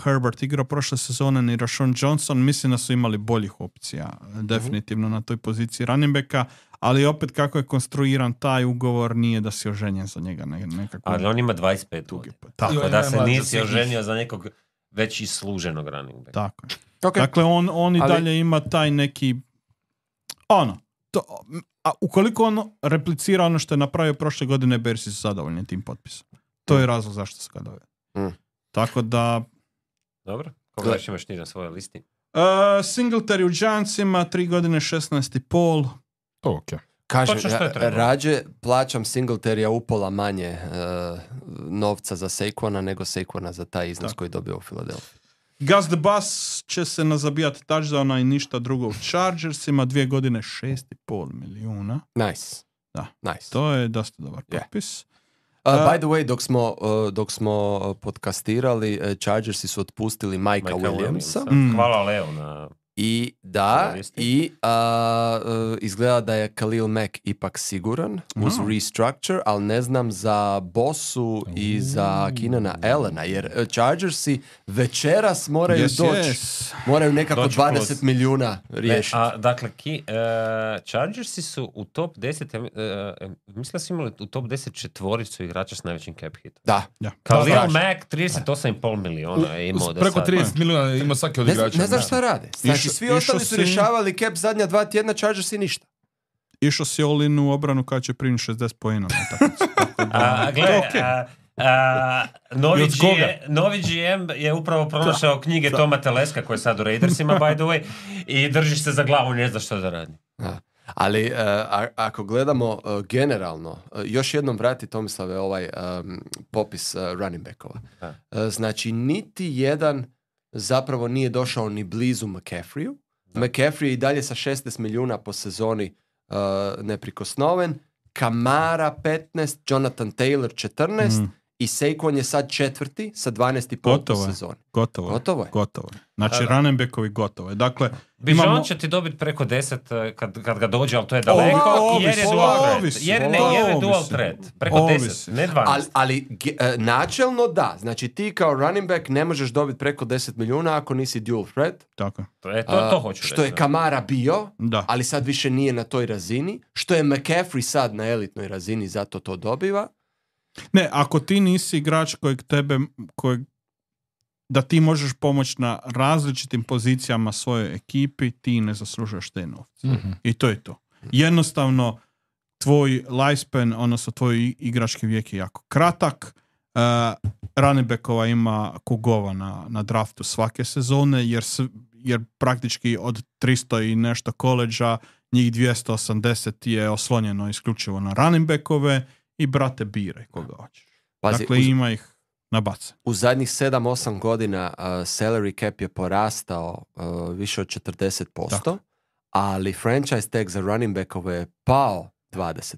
Herbert igrao prošle sezone, ni Rashawn Johnson. Mislim da su imali boljih opcija definitivno na toj poziciji running backa, ali opet kako je konstruiran taj ugovor, nije da si oženjen za njega nekako. Ali on ima 25 godina. Tako da se nisi oženio za nekog već isluženog running backa. Tako je. Okay. Dakle, on i dalje ima taj neki a ukoliko on replicira ono što je napravio prošle godine, Bearsi su zadovoljni tim potpisom. To je razlog zašto se ga dovede. Tako da... Dobro, koga još imaš ti na svojoj listi? Singletary u Giantsima, 3 godine 16,5. Okay. Kaže, rađe plaćam Singletarya upola manje novca za Saquona nego Saquona za taj iznos koji dobio u Philadelphia. Gus the Bus će se nazabijati touchdowna i ništa drugo u Chargersima, 2 godine 6,5 milijuna. Nice. Da, nice. To je dosta dobar potpis. By the way, dok smo podcastirali, Chargersi su otpustili Mikea Williamsa. Hvala Leo na... I izgleda da je Khalil Mack ipak siguran uz restructure, ali ne znam za Bossu i za Keenana Allena, jer Chargersi večeras moraju moraju nekako 20 milijuna riješiti. Dakle, Chargersi su u top 10, mislim da su imali u top 10 četvoricu igrača s najvećim cap hitom. Da. Khalil Mack 38,5 milijuna je imao preko 30 milijuna ima svaki od igrača. Ne znam šta rade. Znači, svi ostali su rješavali cap zadnja 2 tjedna, Chargersi ništa. Išao si all-in u obranu kada će primiti 60 poena. Novi GM je upravo pronašao knjige Toma Teleska, koji je sad u Raidersima, by the way, i držiš se za glavu, ne znaš što da radi. Ali ako gledamo generalno, još jednom vrati Tomislave ovaj popis running backova. Znači, niti jedan zapravo nije došao ni blizu McCaffreyu. McCaffrey je i dalje sa 16 milijuna po sezoni neprikosnoven. Kamara 15, Jonathan Taylor 14 i Saquon je sad 4. sa 12,5 po sezoni. Gotovo je. Znači, running backovi gotovo je. Dakle, Bijan će ti dobiti preko 10 kad ga dođe, ali to je daleko, jer je dual threat. Jer je dual threat. Preko 10, ne 12. Ali načelno da. Znači, ti kao running back ne možeš dobiti preko 10 milijuna ako nisi dual threat. Tako. To hoću reći. Što je Kamara bio, ali sad više nije na toj razini. Što je McCaffrey sad na elitnoj razini, zato to dobiva. Ne, ako ti nisi igrač kojeg da ti možeš pomoći na različitim pozicijama svojoj ekipi, ti ne zaslužuješ te novce. I to je to. Jednostavno, tvoj lifespan, odnosno tvoj igrački vijek je jako kratak. Running backova ima kugova na draftu svake sezone, jer praktički od 300 i nešto koleđa, njih 280 je oslonjeno isključivo na running backove i brate biraj koga hoćeš. Dakle, ima ih na bace. U zadnjih 7-8 godina salary cap je porastao više od 40%, ali franchise tag za running backove je pao 20%.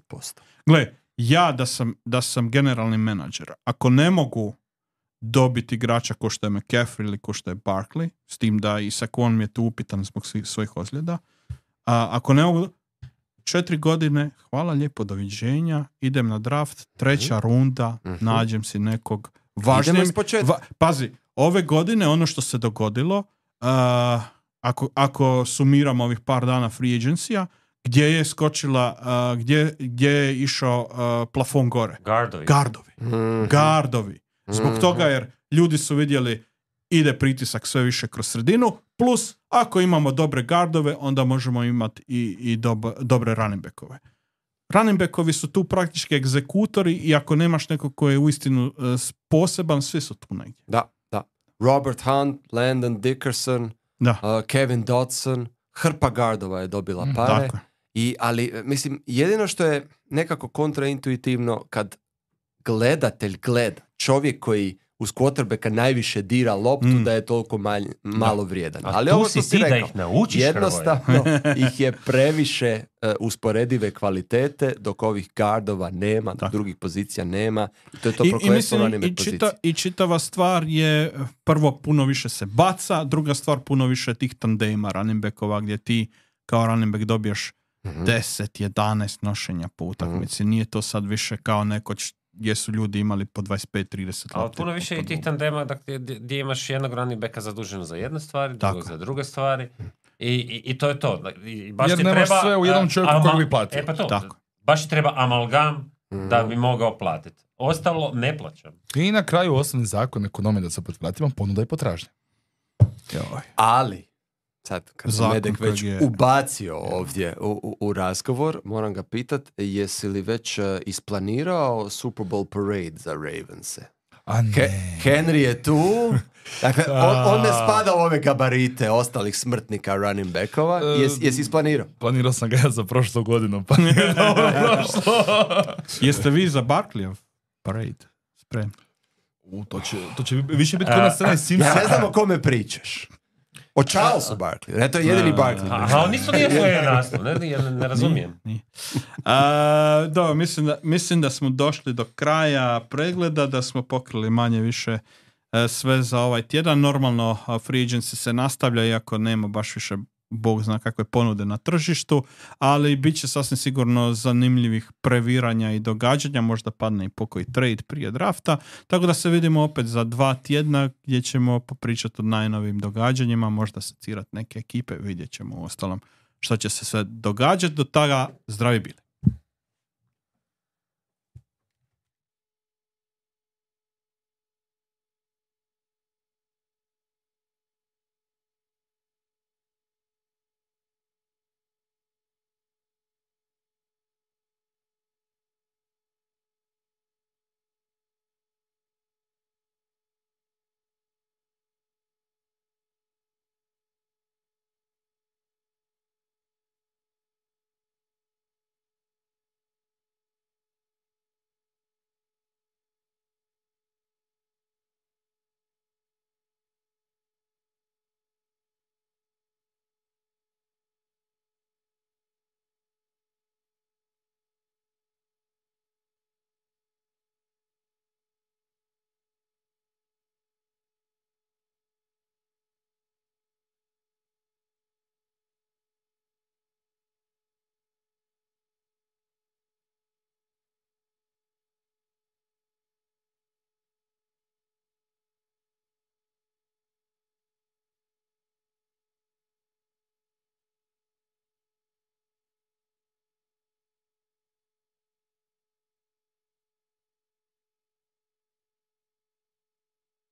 Gle, ja da sam generalni menadžer, ako ne mogu dobiti igrača ko što je McCaffrey ili ko što je Barkley, s tim da i Saquon mi je tu upitan zbog svojih ozljeda, ako ne mogu 4 godine, hvala lijepo, doviđenja, idem na draft, 3. runda, nađem si nekog važnijeg. Pazi, ove godine ono što se dogodilo, ako sumiramo ovih par dana free agency-a, gdje je skočila, gdje je išao plafon gore? Gardovi. Zbog toga jer ljudi su vidjeli ide pritisak sve više kroz sredinu, plus ako imamo dobre gardove, onda možemo imati i dobre running backove. Running backovi su tu praktički egzekutori i ako nemaš nekog koji je uistinu poseban, svi su tu negdje. Da. Robert Hunt, Landon Dickerson, Da. Kevin Dotson, hrpa gardova je dobila pare. Tako je. Ali, mislim, jedino što je nekako kontraintuitivno kad gledatelj gleda, čovjek koji uz quarterbacka najviše dira loptu, da je toliko malo vrijedan. Ali tu ovo si što si ti da rekao, ih naučiš, jednostavno ih je previše usporedive kvalitete, dok ovih gardova nema, dok drugih pozicija nema. I to je to prokletstvo running back pozicije. I čitava stvar je, prvo puno više se baca, druga stvar puno više tih tandema running backova gdje ti kao running back dobiješ 10-11 nošenja po utakmici. Nije to sad više kao nekoć gdje su ljudi imali po 25-30 Ali puno više i tih tandema gdje imaš jednog running backa zaduženo za jedne stvari, drugog za druge stvari. I to je to. I baš jer ti nemaš treba, sve u jednom čovjeku kojeg bi platio. Pa to, Tako. baš ti treba amalgam da bi mogao platiti. Ostalo ne plaćam. I na kraju osnovni zakon ekonomije, da se opet vratimo, ponuda i potražnja. Ali, sad kad sam Medek već je ubacio ovdje u razgovor, moram ga pitat, jesi li već isplanirao Super Bowl parade za Ravense? A ne. Henry je tu. Dakle, on ne spada u ove gabarite ostalih smrtnika running backova. Jesi isplanirao? Planirao sam ga ja za prošlu godinu, pa nije dobro prošlo. Jeste vi za Barkleyov parade spremni? To će više biti kod na scena iz Simpsona. Ja ne znam o kome pričaš. O Charlesu Barkley. Ne, to je jedini Barkley. Ali nisu nije svoje naslov, ne razumijem. Nije. Dobro, mislim da smo došli do kraja pregleda, da smo pokrili manje više sve za ovaj tjedan. Normalno free agency se nastavlja, iako nema baš više Bog zna kakve ponude na tržištu, ali bit će sasvim sigurno zanimljivih previranja i događanja, možda padne i pokoji trade prije drafta, tako da se vidimo opet za 2 tjedna gdje ćemo popričati o najnovim događanjima, možda secirati neke ekipe, vidjet ćemo u ostalom što će se sve događati. Do toga zdravi bili.